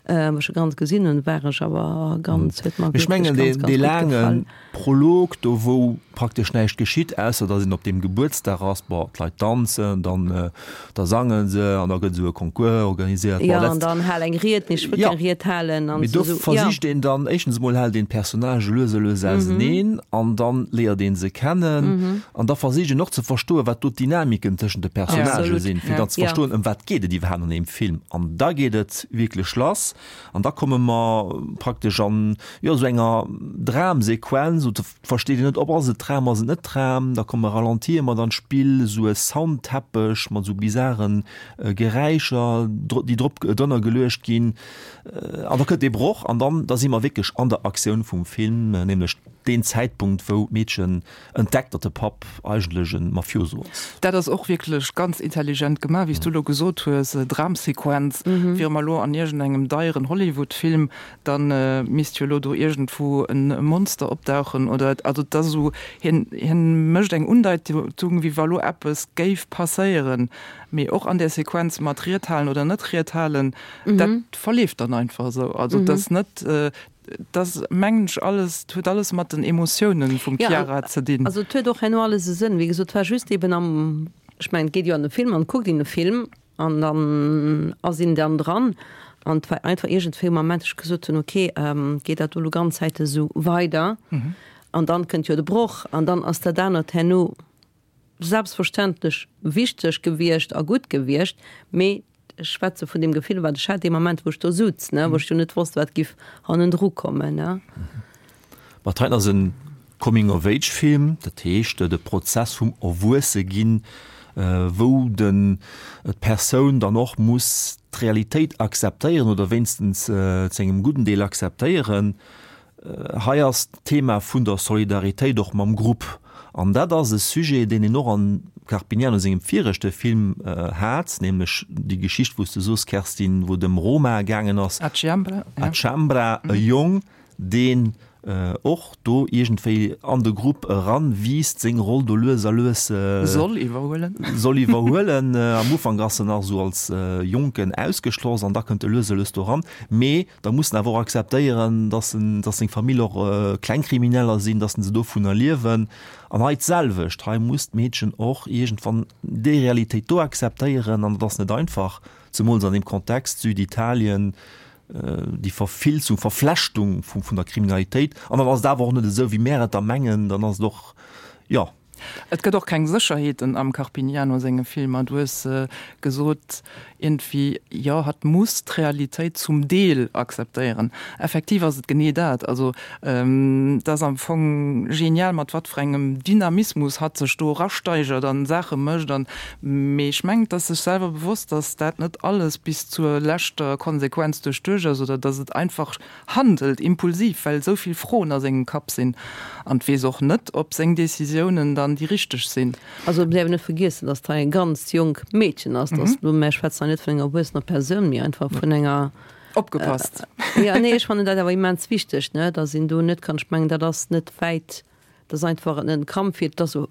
wou ech e ganz gesinn hunn, war ech awer ganz, huet mer Ech wierklech mengen, ganz, deen ganz dee gutt laange gefall. Prolog do, wou praktesch näischt geschitt, ausser datt een op deem Gebuertsdag ass, bon, d'Leit danzen, dann da sange se an da gëtt esou e Concours organiséiert. Jo, an dann hal eng Ried, nee, ech wëll keng Ried halen an Mee do esou, jo. versicht een dann, éischtens emol hält een d'Personnagë lues a lues auseneen an dann léiert ee se kennen an da versicht een och ze verstoen, wat do d'Dynamiken tëschent de Personnagë sinn, fir dann ze verstoen, ëm wat geet et iwwerhaapt an deem Film. An da geet et wierklech lass an da komme mer praktesch an, jo, esou enger Dramsequenz, Versteet een net, ob ass et Tram, ass et net Tram. Da komme Ralentie mat an d'Spill, esou e Soundteppech mat esou bizaren Geräischer, déi drop drënner geluecht ginn. An da kënnt dee Broch an dann da si mer wierklech an der Aktioun vum Film, nämlech deen Zäitpunkt, wou d'Meedchen entdeckt, datt de Papp eigentlech e Mafioso ass. Dat ass och wierklech ganz intelligent gemaach, wéi s du elo gesot hues, Dramsequenz. Wiere mer elo an iergendengem deieren Hollywood-Film, Dann misst jo elo do iergendwou e Monster opdauchen oder, also et ass esou, hien, hien mécht eng Undeitung, wéi wa lo eppes géif passéieren, mee och an där Sequenz mat Ried halen oder net Ried halen, dat verleeft dann einfach esou. Also et ass net, et ass mengen ech alles, et huet alles mat den Emotiounen vum Chiara ze dinn. Also et huet och herno alles e Sënn. Wéi gesot, et war just eben am, ech mengen et geet jo an de Film an et kuckt een e Film An dann ass een dann dran an et war einfach iergendwéi um Ament, ech gesot hunn, okay, geet dat do elo ganz Zäit esou weider? An dann kënnt jo de Broch an dann ass dat anert herno selbstverständlech wichteg gewiescht a gutt gewiescht, mee ech schwätze vun deem Gefill, wat ech hat dee Moment, wou ech do sutz, ne, wou ech jo net wosst, wat giff hannendru kommen, ne. Ma dat heiten ass e Coming-of-Age-Film, dat heescht de Prozess vum Erwuesse-ginn, wou den d'Persoun dann och muss d'Realitéit akzeptéieren oder wéinstens zu engem gudden Deel akzeptéieren. Hei ass d'Thema vun der Solidaritéit och mam Grupp an dat ass e Sujet, deen een och an Carpignano sengem viregte Film hat, nämlech déi Geschicht, wou s de soos, Kerstin, wou et ëm Roma gaangen ass, A Ciambra, A Ciambra, e Jong, deen och do iergendwéi an de Grupp eran wiisst, seng Roll do lues a lues soll iwwerhuelen. Soll iwwerhuelen. Am Ufank ass en nach esou als Jonken ausgeschloss an da kënnt e lues a lues do ran. Mee da muss en awer och akzeptéieren, dass en, dass seng Famill och Klengkrimineller sinn, dass se dovunner liewen. An hei d'selwecht, hei muss d'Meedchen och iergendwann déi Realitéit do akzeptéieren an dat ass net einfach, zemools an deem Kontext Süditalien, déi Verfilzung, Verflechtung vun der Kriminalitéit. An dann ass et awer och net esou, wéi mär et da mengen, dann ass et och, jo. Et gëtt och keng Sécherheeten am Carpignano senge Filmer. Du hues gesot, iergendwéi, jo, hatt muss d'Realitéit zum Deel akzeptéieren. Effektiv ass et genee dat. Also, et ass am Fong genial, mat wat fir engem Dynamismus hatt sech do erasteigert an Saache mécht an Mee ech mengen, et ass sech selwer bewosst, datt dat net alles bis zur leschter Konsequenz duerchduecht ass oder datt et einfach handelt, impulsiv, well esou vill Froen a sengem Kapp sinn. An et weess och net, ob seng Decisiounen dann déi richteg sinn. Also et däerf een net vergiessen, datt hei e ganz jonk Meedchen ass, datt elo, mär schwätzen hei net vun enger erwuessener Persoun, mee einfach vun enger. Opgepasst! Jo, nee, ech fannen dat awer immens wichteg, ne, datt een do net kann, ech mengen, dat ass net wäit Dat ass einfach en Kampf fir, et ass och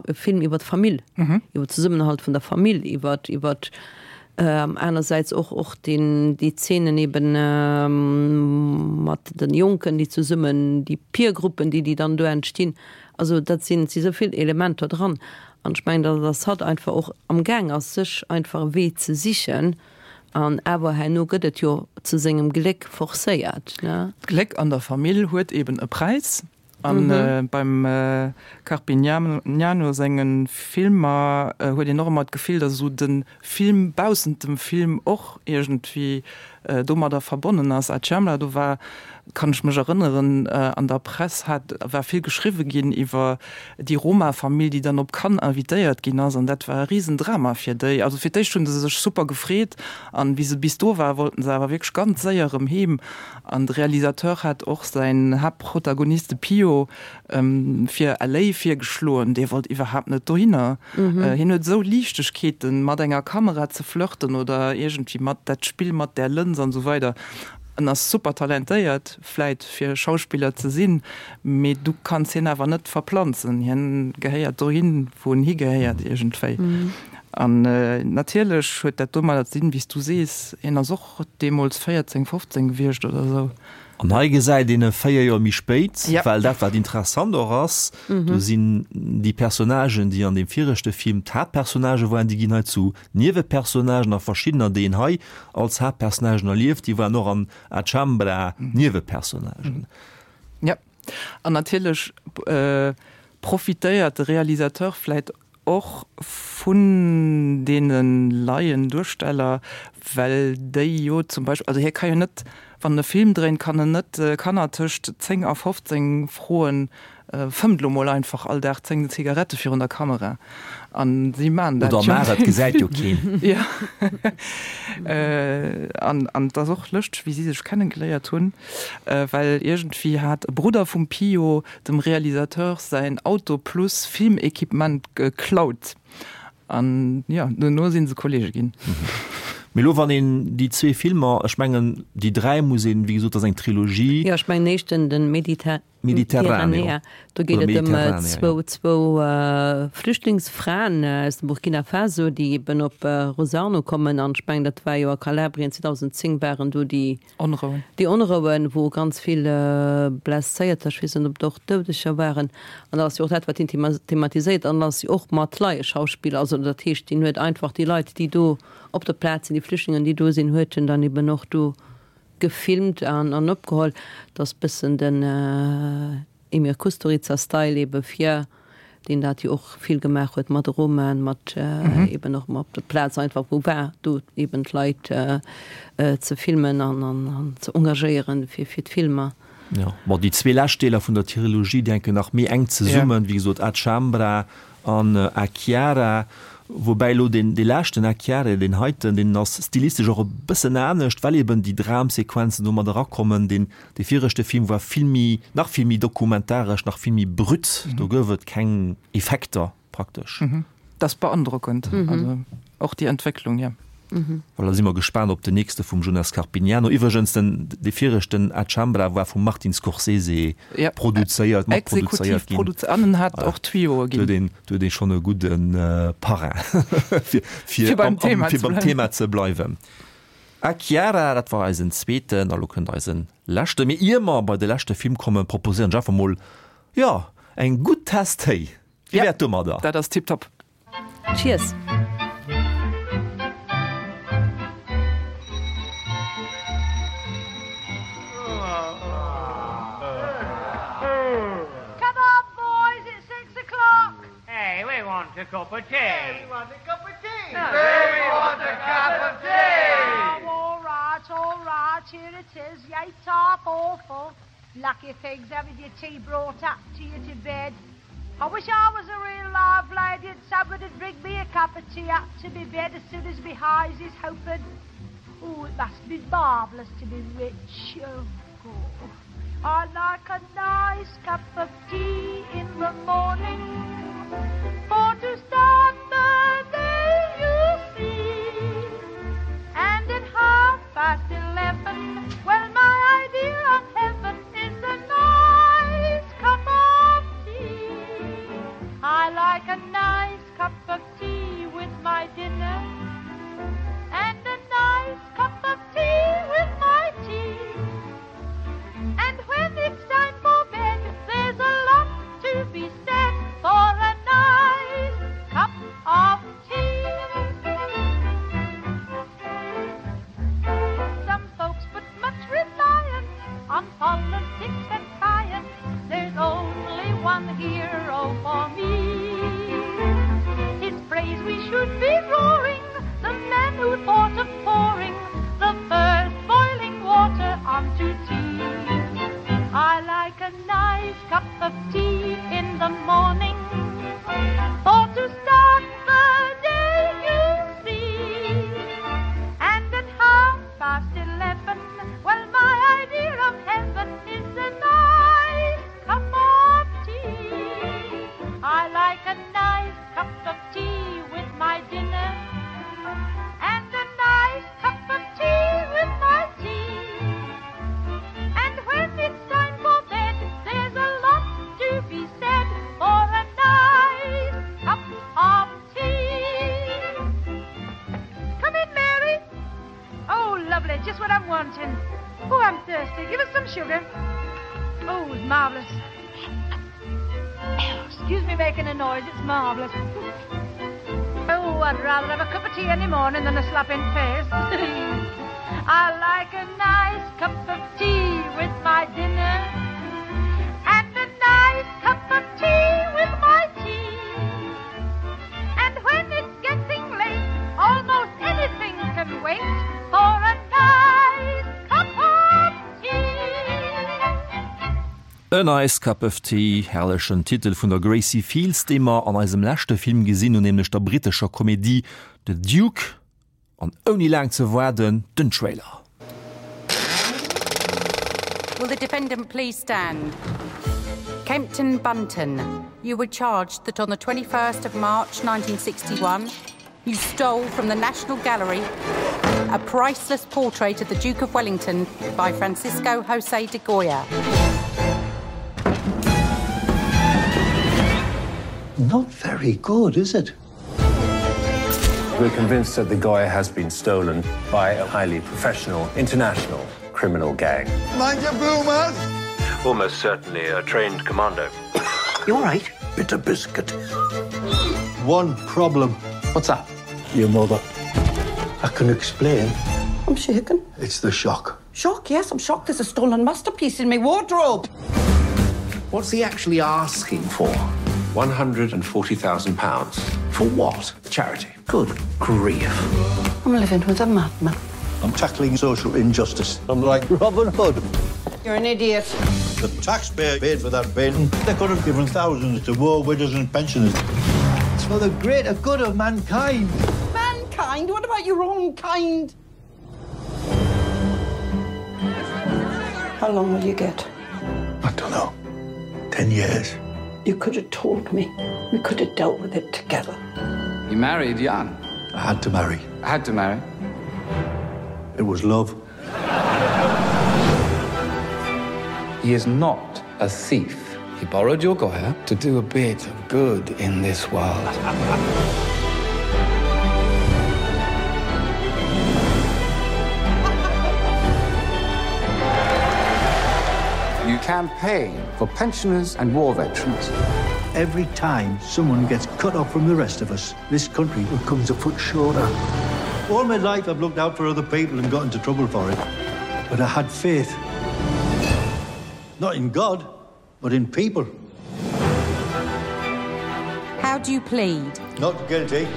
e Film iwwer d'Famill, iwwer Zesummenhalt vun der Famill, iwwer iwwer anersäits och och deen déi Zeenen eben mat den Jonken, déi zesummen, déi Peer-Gruppen, déi déi dann do entstinn. Also dat sinn, et si sou vill Elementer dran. An ech mengen, datt dass hatt einfach och am Gaang ass, sech einfach e Wee ze sichen. An awer herno gëtt et jo zu sengem Gléck forcéiert, ne? D'Gléck an der Famill huet eben e Präis. An beim Carpignano senge Filmer huet een och ëmmer d'Gefill, datt esou de Film baussent dem Film och iergendwéi domadder verbonnen ass. A Ciamla, do war, kann ech mech erënneren, an der Press hat, war vill geschriwwe ginn iwwer déi Roma-Famill, déi dann op Cannes invitéiert ginn ass, an dat war e Risendrama fir déi. Also fir d'éischt hu se sech super gefreet, an wéi se bis do war, wollten se awer wierklech ganz séier erëm heem. An de Realisateur hat och säin Haaptprotagonist, de Pio, fir LA virgeschloen, dee wollt iwwerhaapt net dohinner. Hien huet esou Liichtegkeeten, mat enger Kamera ze flirten oder iergendwéi mat dat Spill mat där Lëns an esou weider. En ass super talentéiert, vläit fir Schauspiller ze sinn, mee du kanns hien awer net verplanzen. Hien gehéiert dohin, wou en higehéiert iergendwéi. An natierlech huet dat domadder ze dinn, wéi s du sees, hien ass och deemools 14, 15 gewiescht oder esou. An hei gesäit een e 4 Joer méi spéit, well dat wat interessant och ass, do sinn déi Personnagen, déi an deem viregte Film d'Haaptpersonnagë waren, déi ginn hei zu Niewepersonnagen a verschiddener, déi een hei als Haaptpersonnagen erlieft, déi waren och an A Chambra Niewepersonnagen. Jo, an natierlech profitéiert de Realisateur vläit Och vun deene laien Duersteller, well déi jo zum Beispill, also hie ka jo net, wann en e Film dréint, kann en net Kanner tëscht 10 a 15 froen, fëmmt elo mol einfach all Dag 10 Zigarette virun der Kamera. A si maachen dat jo. Oder maach et, gesäit jo keen. Jo. An et ass och lëschteg, wéi si sech kennengeléiert hunn, well iergendwéi hat e Brudder vum Pio dem Realisateur säin Auto plus Filmequipement geklaut an jo, dono si se Kollege ginn. Mee elo wann een déi zwee Filmer, ech mengen déi 3 muss een, wéi gesot, dat ass eng Trilogie. Jo, ech mengen den éischten, den Mediterranea, do geet et ëm zwou, zwou Flüchtlingsfraen aus dem Burkina Faso, déi eben op Rosarno kommen an ech mengen dat war jo a Kalabrien 2010 waren do déi, Onrouen. Déi Onrouen, wou ganz vill Blesséierter, ech weess net, ob et och Doudeger waren, an dat ass jo och dat, wat hien thematiséiert, an dat ass jo och mat Laieschauspiller, also dat heescht, hien huet einfach déi Leit, déi do op der Plaz sinn, déi Flüchtlingen, déi do sinn, huet en dann eben och do gefilmt an opgeholl. Dat ass e bëssen den. Emir Kusturica Style ebe fir deen dat jo och vill gemaach huet mat Romaen, mat eben och op der Plaz einfach wou war do eben d'Leit ze filmen an an ze engagéieren fir fir d'Filmer. Jo, bon déi zwee lescht Deeler vun der Trilogie déi hänken nach méi enk zesummen, wéi gesot A Chambra an A Chiara, woubäi elo deen dee leschten A Chiara, deen heiten, deen ass stilistesch och e bëssen anescht, well eben déi Dramsequenzen do mat erakommen, deen Dee viregte Film war vill méi, nach vill méi dokumentaresch, nach vill méi brut. Do gouf et keng Effekter praktesch. Dat ass beandrockend, also och déi Entwécklung, jo. Voilà, da si mer gespaant op den nächste vum Jonas Carpignano. Iwwregens, den, dee viregten A Chambra war vum Martin Scorsese produzéiert, matproduzéiert ginn. Exekutiv an en hat och Tuyauxe ginn. Do huet een, do huet ee schonn e gudde Parrain, fir, fir beim Thema ze bleiwen. A Chiara, dat war eisen zweeten, a lo kënnt eisen leschten. Mee ier mer bei de leschte Film kommen, proposéieren ech einfach mol, jo, eng gutt Tass Téi. Wéi wär et domadder? Dat ass tiptop. Cheers! Come on boys, it's six o'clock! Hey, we want a cup of tea. Hey, we want a cup of tea. Hey, we want a cup of tea. Oh, all right, all right. Here it is. Yay, top awful. Lucky things having your tea brought up to you to bed. I wish I was a real live lady and somebody'd bring me a cup of tea up to me bed as soon as me eyes is open. Oh, it must be marvellous to be rich. Oh, God. I like a nice cup of tea in the morning For to start the day you see And at half past 11 Well, my idea of heaven is a nice cup of tea I like a nice cup of tea with my dinner And a nice cup of tea with my tea And when it's time for bed, there's a lot to be said for a nice. Lovely, just what I'm wanting. Oh, I'm thirsty. Give us some sugar. Oh, it's marvelous. Excuse me making a noise, it's marvelous. Oh, I'd rather have a cup of tea any morning than a slap in face. I like a nice cup of tea with my dinner and a nice cup of tea with my tea. And when it's getting late, almost anything can wait for a nice cup of tea. A Nice Cup of Tea, herrlechen Titel vun der Gracie Fields, déi mer an eisem leschte Film gesinn hunn, nämlech der brittescher Komedie The Duke. An ouni laang ze waarden, den Trailer. Will the defendant please stand? Kempton Bunton, you were charged that on the 21st of March 1961, you stole from the National Gallery a priceless portrait of the Duke of Wellington by Francisco Jose de Goya. Not very good, is it? We're convinced that the Goya has been stolen by a highly professional international criminal gang. Mind your bloomers! Almost certainly a trained commando. You're right. Bit of biscuit. One problem. What's that? Your mother. I can explain. I'm shaken. It's the shock. Shock, yes, I'm shocked. There's a stolen masterpiece in my wardrobe. What's he actually asking for? 140,000 pounds. For what? Charity. Good grief. I'm living with a madman. I'm tackling social injustice. I'm like Robin Hood. You're an idiot. The taxpayer paid for that painting. They could have given thousands to war widows and pensioners. It's for the greater good of mankind. Mankind? What about your own kind? How long will you get? I don't know. Ten years. You could have told me. We could have dealt with it together. You married young. I had to marry. I had to marry. It was love. He is not a thief. He borrowed your Goya to do a bit of good in this world. You campaign for pensioners and war veterans. Every time someone gets cut off from the rest of us, this country becomes a foot shorter. All my life I've looked out for other people and got into trouble for it. But I had faith. Not in God, but in people. How do you plead? Not guilty.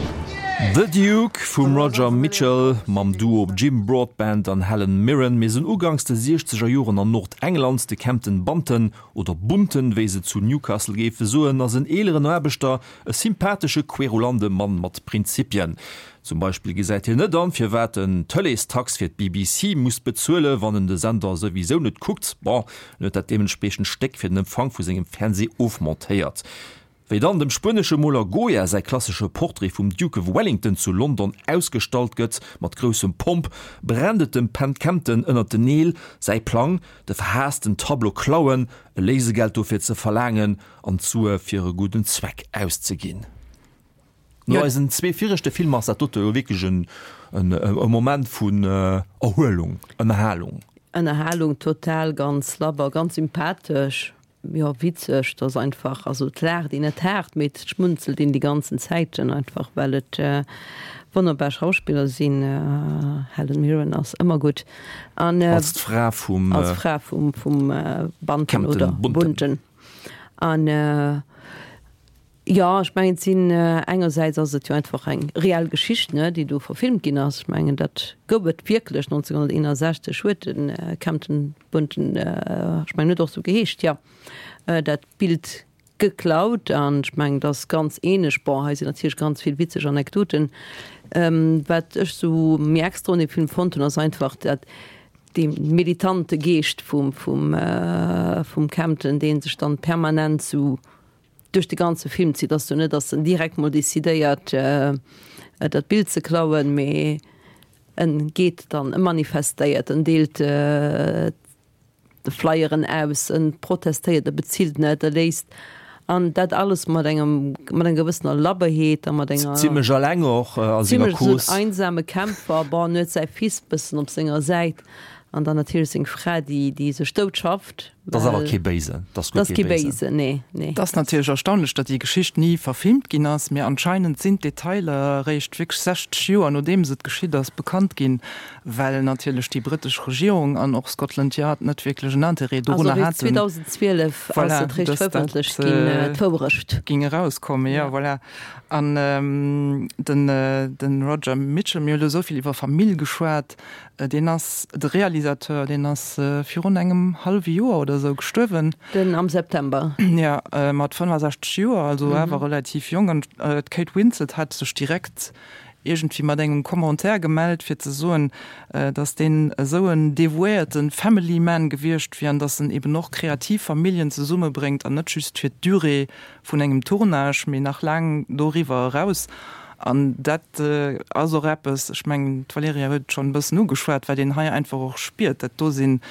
The Duke vum Roger Michell mam Duo Jim Broadbent an Helen Mirren. Mir sinn uganks de siechzeger Joren an Nordengland. De Kempton Bunton, oder Bunten, wéi se zu Newcastle géife soen, ass en eeleren Aarbechter, e sympathesche querulande Mann mat Prinzipien. Zum Beispill gesäit hien net an, firwat en d'Tëleestax fir d'BBC muss bezuelen, wann en de Sender souwisou net kuckt. Bon, en huet dat deementspriechend Stéck fir den Empfang vu sengem Fernsee ofmontéiert. Wéi dann dem spuenesche Moler Goya säi klassesche Portrait vum Duke of Wellington zu London ausgestallt gëtt, mat groussem Pomp, brennt et dem Pen Kempton ënnert den Neel. Säi Plang, de verhaassten Tableau klauen, e Léisegeld dofir ze verlaangen an d'Sue fir e gudden Zweck auszeginn. No eisen zwee viregte Filmer ass dat dote jo wierklech en e Moment vun Erhuelung, Ënnerhalung. Ënnerhalung total, ganz labber, ganz sympathesch, jo witzeg. Et ass einfach, also et laacht een net haart, mee et schmunzelt een déi ganzen Zäiten einfach, well et wonnerbar Schauspiller sinn. Helen Mirren ass ëmmer gutt an als d'Fra vum als Fra vum vum Banten oder Bunten an. Jo, ech mengen, et sinn, engersäits ass et jo einfach eng reell Geschicht, ne, déi do verfilmt ginn ass. Ech mengen, dat gouf et wierklech 1961 huet de Kempton Bunton, ech mengen, huet och esou geheescht, jo, dat Bild geklaut. An ech mengen, et ass ganz ähnlech. Bon, hei sinn natierlech ganz vill witzeg Anekdoten. Wat ech esou méi extra un deem Film fonnt hunn, ass einfach dat, dee militante Geescht vum, vum, vum Kempton, dee sech dann permanent esou duerch de ganze Film zitt, ass jo net, dass en direkt mol decidéiert dat Bild ze klauen, mee en geet dann, e manifestéiert, en deelt Flyeren aus, en protestéiert, e bezilt net, e léisst. An dat alles mat engem, mat enger gewëssener Labberheet a mat enger. Zimlech alleng och a senger Zimlech esou en Cause. einsame Kämpfer. Bon, en huet säi Fils bëssen op senger Säit an dann natierlech seng Fra, déi, déi sech dout schafft. Dat ass awer kee Béisen. Dat ass guer kee Béisen, nee, nee. Et ass natierlech erstaunlech, datt déi Geschicht ni verfilmt ginn ass, mee anscheinend sinn d'Detailer eréischt wierklech 60 Joer nodeems et geschitt ass bekannt ginn, well natierlech déi britesch Regierung an och Scotland Yard net wierklech en Interêt dorunner haten. Also eréischt 2012 ass et réischt verëffentlecht ginn, d'Wourecht. Ging erauskommen, jo, voilà. An den Roger Michell, mir hu lo esou vill iwwer Famill geschwat, Deen ass, de Realisateur, deen ass virun engem hallwe Joer oder esou gestuerwen. Den am September. Jo, mat 65 Joer, also awer relativ jonk. An d'Kate Winslet hat sech direkt iergendwéi mat engem Commentaire gemellt, fir ze soen, datt deen esou en devouéierte Family Man gewiescht wier an datt en eben och kreativ Familljen zesummebréngt an net just fir d'Durée vun engem Tournage, mee nach laang doriwwer eraus. An dat ass och eppes, ech mengen, d'Valerija huet et schonn e bëssen ugeschwat, wat een hei einfach och spiert, dat do sinn,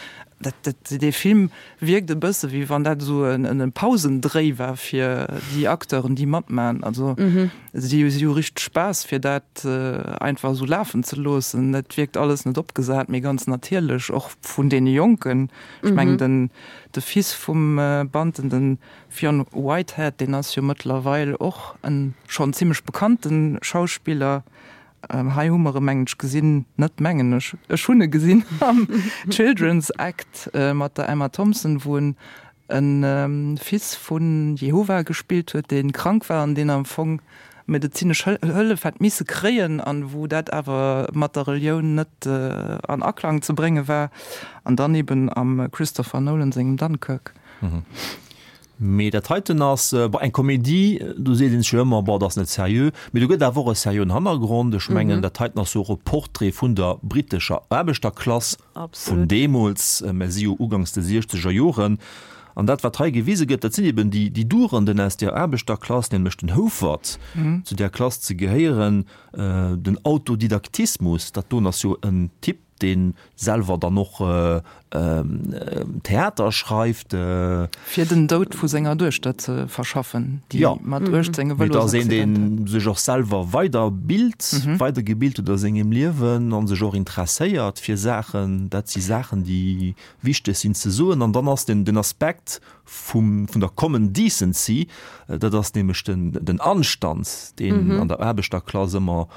dat, dat, dee Film wierkt e bësse wéi wann dat esou e Pausendréi war fir déi Acteuren, déi matmachen. Also si si hu richteg Spaass, fir dat einfach esou lafen ze loossen. Dat wierkt alles net opgesat, mee ganz natierlech, och vun deene Jonken. Ech mengen, den, de Fils vum Banten, den Fionn Whitehead, deen ass jo mëttlerweil och en schonn zimmlech bekannte Schauspiller. Hei hu mer e mengen ech gesinn, net mengen ech, ech hunn e gesinn am Children's Act mat der Emma Thompson, wou en e Fils vu Jehova gespillt huet, dee krank war an deen am Fong medezinesch Hëllef hätt misse kréien an wou dat awer mat der Relioun net an Aklang ze brénge war. An dann eben am Christopher Nolan sengem Dunkirk. Mee dat heiten ass, bon, eng Komedie, do seet een sech jo ëmmer, bon, dat ass net seriö. Mee do gëtt awer och e seriöen Hannergrond. Ech mengen, dat heiten ass jo och e Portrait vun der brittescher Aarbechterklass vun deemools, mer si jo uganks de siechzeger Joren. An dat, wat hei gewise gëtt, dat sinn eben déi, déi Durenden aus där Aarbechterklass, nämlech den Houfert, zu där Klass ze gehéieren, den Autodidaktismus, dat doen ass jo en Typ, dee selwer dann och Theater schreift. Fir den Doud vu senger Duechter ze verschaffen, déi mat 18 e Vëlosaccident hat. Mee et ass een, dee sech och selwer weiderbilt, weidergebilt huet a sengem Liewen a sech och interesséiert fir Saachen. Dat si Saachen, déi wichteg sinn ze soen. An dann ass den Aspekt vum, vun der common decency, dat ass nämlech den Anstand, deen an der Aarbechterklass ëmmer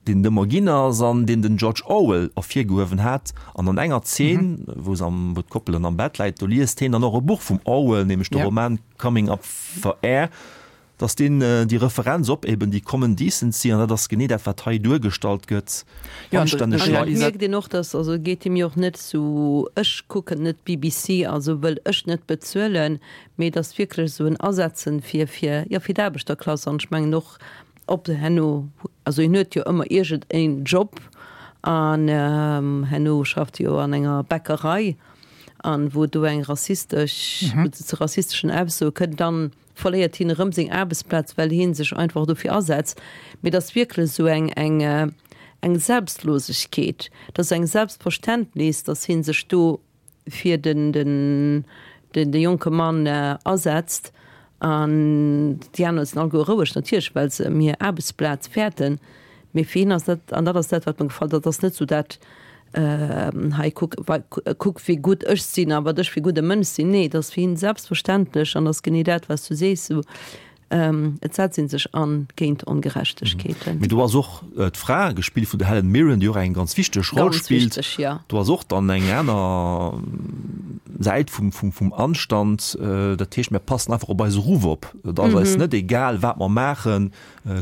deen et ëmmer ginn ass an deen den George Orwell ervirgehuewen hat. An an enger Zeen, wou se am, wou d'Koppel dann am Bett läit, do liest heen dann och e Buch vum Orwell, nämlech de Roman Coming Up for Air. Dass deen déi Referenz op eben déi common decency, an dat ass genee dat, wat hei duergestallt gëtt, anstänneg Leit. Et mierkt een och, dass, also et geet him jo och net sou, ech kucken net d'BBC, also wëll ech net bezuelen, mee et ass wierklech esou en Asetzen fir, fir, jo, fir d'Aarbechterklass. An ech mengen och, Op herno, also hien huet jo ëmmer iergend en Job an herno schafft hie jo an enger Bäckerei an wou do eng rassistesch, wou et zu rassisteschen Aussoe kënnt, dann verléiert hien erëm seng Aarbechtsplaz, well hien sech einfach dofir asetzt. Mee et ass wierklech esou eng, eng, eng Selbstlosegkeet, et ass eng Selbstverständnis, datt hien sech do fir den den de jonke Mann asetzt an déi aner sinn alleguer roueg, natierlech, well se ëm hir Aarbechtsplaz fäerten. Mee fir hien ass dat, an dat ass dat, wat mer gefall, dat ass net esou dat, hei kuck, kuck wéi gutt ech sinn a wat ech fir e gudde Mënsch sinn. Nee, et ass fir hien selbstverständlech an ass genee dat, wat s du sees, esou Et setzt ee sech an géint Ongerechtegkeeten. Mee do ass och d'Fra, gespillt vun der Helen Mirren, déi och eng ganz wichteg Roll Ganz spillt. wichteg, jo. Do ass och dann eng aner Säit vum, vum, vum Anstand. Dat heescht, mir passen einfach op eise Ruff op. Et ass eis net egal, wat mer maachen.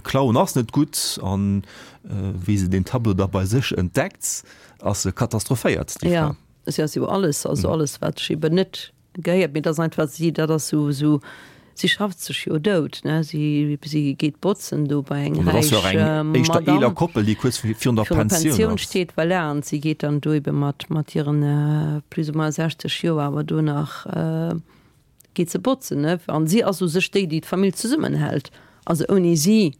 Klauen ass net gutt. An wéi se deen Tableau da bei sech entdeckt, ass se katastrophéiert, déi Jo, Fra. si ass jo alles, also alles, wat ech eben net Gehéiert, mee et ass einfach si, dat ass sou, sou, si schafft sech jo dout, ne, si, si geet botzen do bei eng An dat ass jo räich och eng éischter Madame, eeler Koppel, déi kuerz virun der virun der Pensioun Pensioun ass. steet, voilà, an si geet dann do ebe mat, mat hiren plus ou moins 60 Joer awer do nach geet se botzen, ne, an si ass u sech déi, déi d'Famill zesummenhält, also ouni si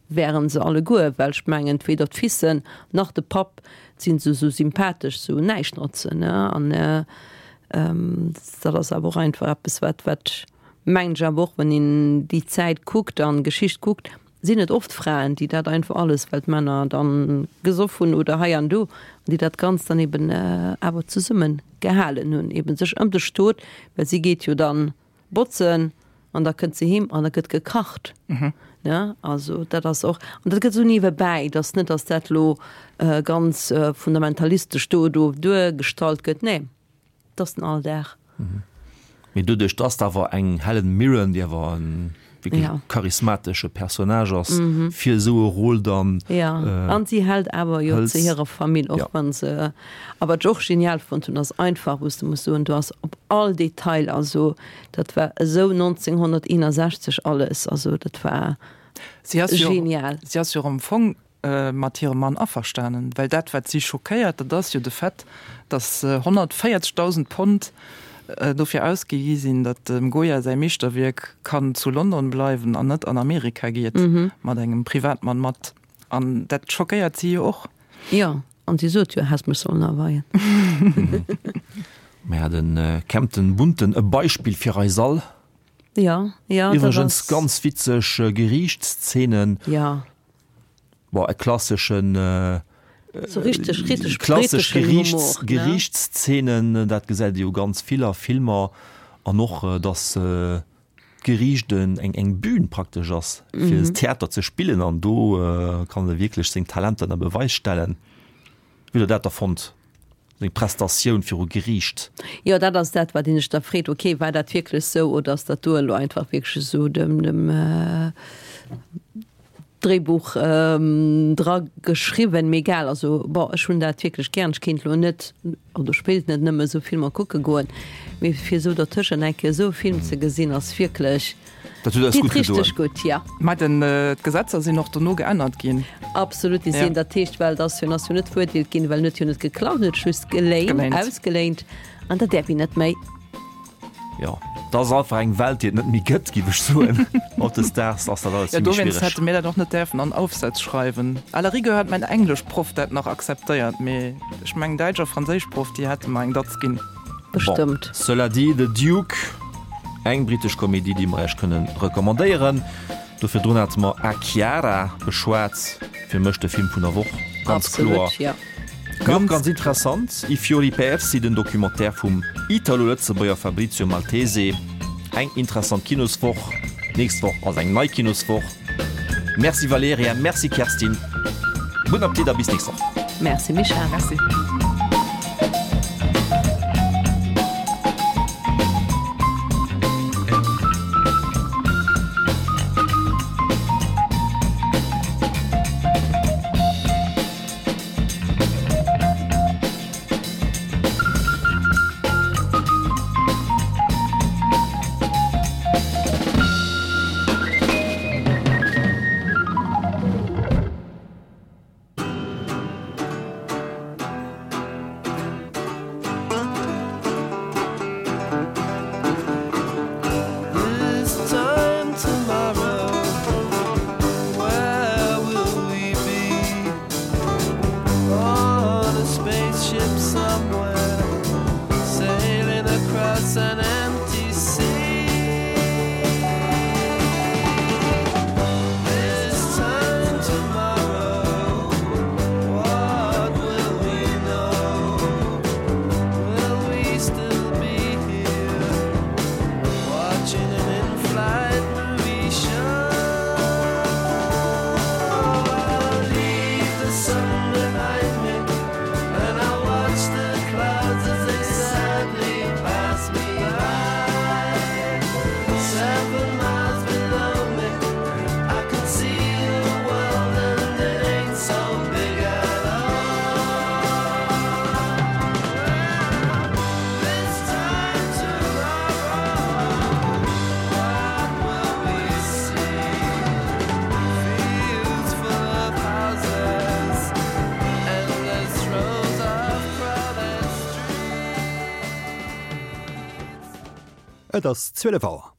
wären se alleguer, well ech mengen, weder d'Fissen nach de Papp sinn se sou sympathesch, sou Näischtnotzen, ne, an. Dat ass awer och einfach eppes, wat, wat. Mengen ech awer och, wann een déi Zäit kuckt an d'Geschicht kuckt, sinn et oft Fraen, déi dat einfach alles, well d'Männer dann gesoff hunn oder hei an do, an déi dat Ganzt dann eben awer zesummen gehalen hunn, eben sech ëm de Stot, well si geet jo dann botzen an da kënnt se heem an da gëtt gekacht, ne, also dat ass och, an dat gëtt esou niewebäi, et ass net, datt dat elo ganz fundamentalistesch do do duergestallt gëtt, nee. Et ass den Alldag. Mee doduerch, dass awer eng Helen Mirren, déi awer e wierklech ja. charismatesche Personnage ass, mhm. fir esou e Rôle dann. Ja. Äh, an si hält awer jo zu hirer Famill och ja. wann se. A wat ech och genial fonnt hunn, ass einfach, wou s de muss soen, du ass op all Detail, also dat war esou 1961 alles, also dat war si ass genial. Jo, si ass jo am Fong mat hirem Mann averstanen, well dat wat si schockéiert, dat ass jo de Fait, datt 140.000 Pond dofir ausgi gi sinn, datt dem Goya säi Meeschterwierk kann zu London bleiwen an net an Amerika geet mat engem Privatmann mat. An dat schockéiert si jo och. Jo, an si sot jo, häss mech sollen aweien. Mä de Kempton Bunton, e Beispill fir eis all. Jo, jo, dat ass. Iwwregens ganz witzeg Geriichtsszenen. Jo. Bon, e klasseschen So richteg, richteg klassesch britteschen Geriichts, Humor, ne? Geriichtsszenen, dat gesäit ee jo ganz vill a Filmer. An och, datt d'Geriicht en, eng, eng Bühn praktesch ass, fir Theater ze spillen. An do kann e wierklech seng Talenter ënner Beweis stellen. Wéi hutt Der dat da fonnt, seng Prestatioun viru Geriicht? Jo, dat ass dat, wat een sech da freet, ok, war dat wierklech sou oder ass dat do elo einfach wierklech esou dem, dem Dréibuch dra geschriwwen, mee egal. Also bon, ech hunn dat wierklech gären. Ech kéint elo net, oder ech wéilt net nëmme esou Filmer kucke goen, mee fir esou dertëschent eng Kéier esou e Film ze gesinn, ass wierklech, Dat huet eis deet gutt gedoen. richteg gutt, ja. Mä den, d'Gesetzer sinn och dono geännert ginn. Absolut, déi sinn, dat heescht, well et ass jo, en ass jo net verurteelt ginn, well en huet jo net geklaut, en huet just geléint, Geléint. ausgeléint an dat däerf een net méi. Jo, dat ass einfach eng Welt, déi et net méi gëtt, géif ech soen. Hautdesdaags ass dat alles Ja, vill méi dowéinst schwiereg. hätte mir dat och net däerfen an Aufsätz schreiwen. À la rigueur hätt mäin Engleschproff dat nach akzeptéiert, mee ech mengen Däitsch a Franséischproff, déi hätte mer eng Datz ginn. Bon, Bestëmmt. cela dit, The Duke, eng britesch Komedie, déi mer Iech kënnen recommandéieren. Do virdrun hate mer A Chiara beschwat, fir mech de Film vun der Woch, ganz kloer. Absolut, jo. Mee och ganz interessant, I fiori persi, den Documentaire vum Italo-Lëtzebuerger Fabrizio Maltese. Eng interessant Kinoswoch. D'nächst Woch ass eng nei Kinoswoch. Merci Valerija, merci Kerstin. Gudden Appetit a bis nächst Woch. Merci Michèle. Merci. Et ass 12 Auer.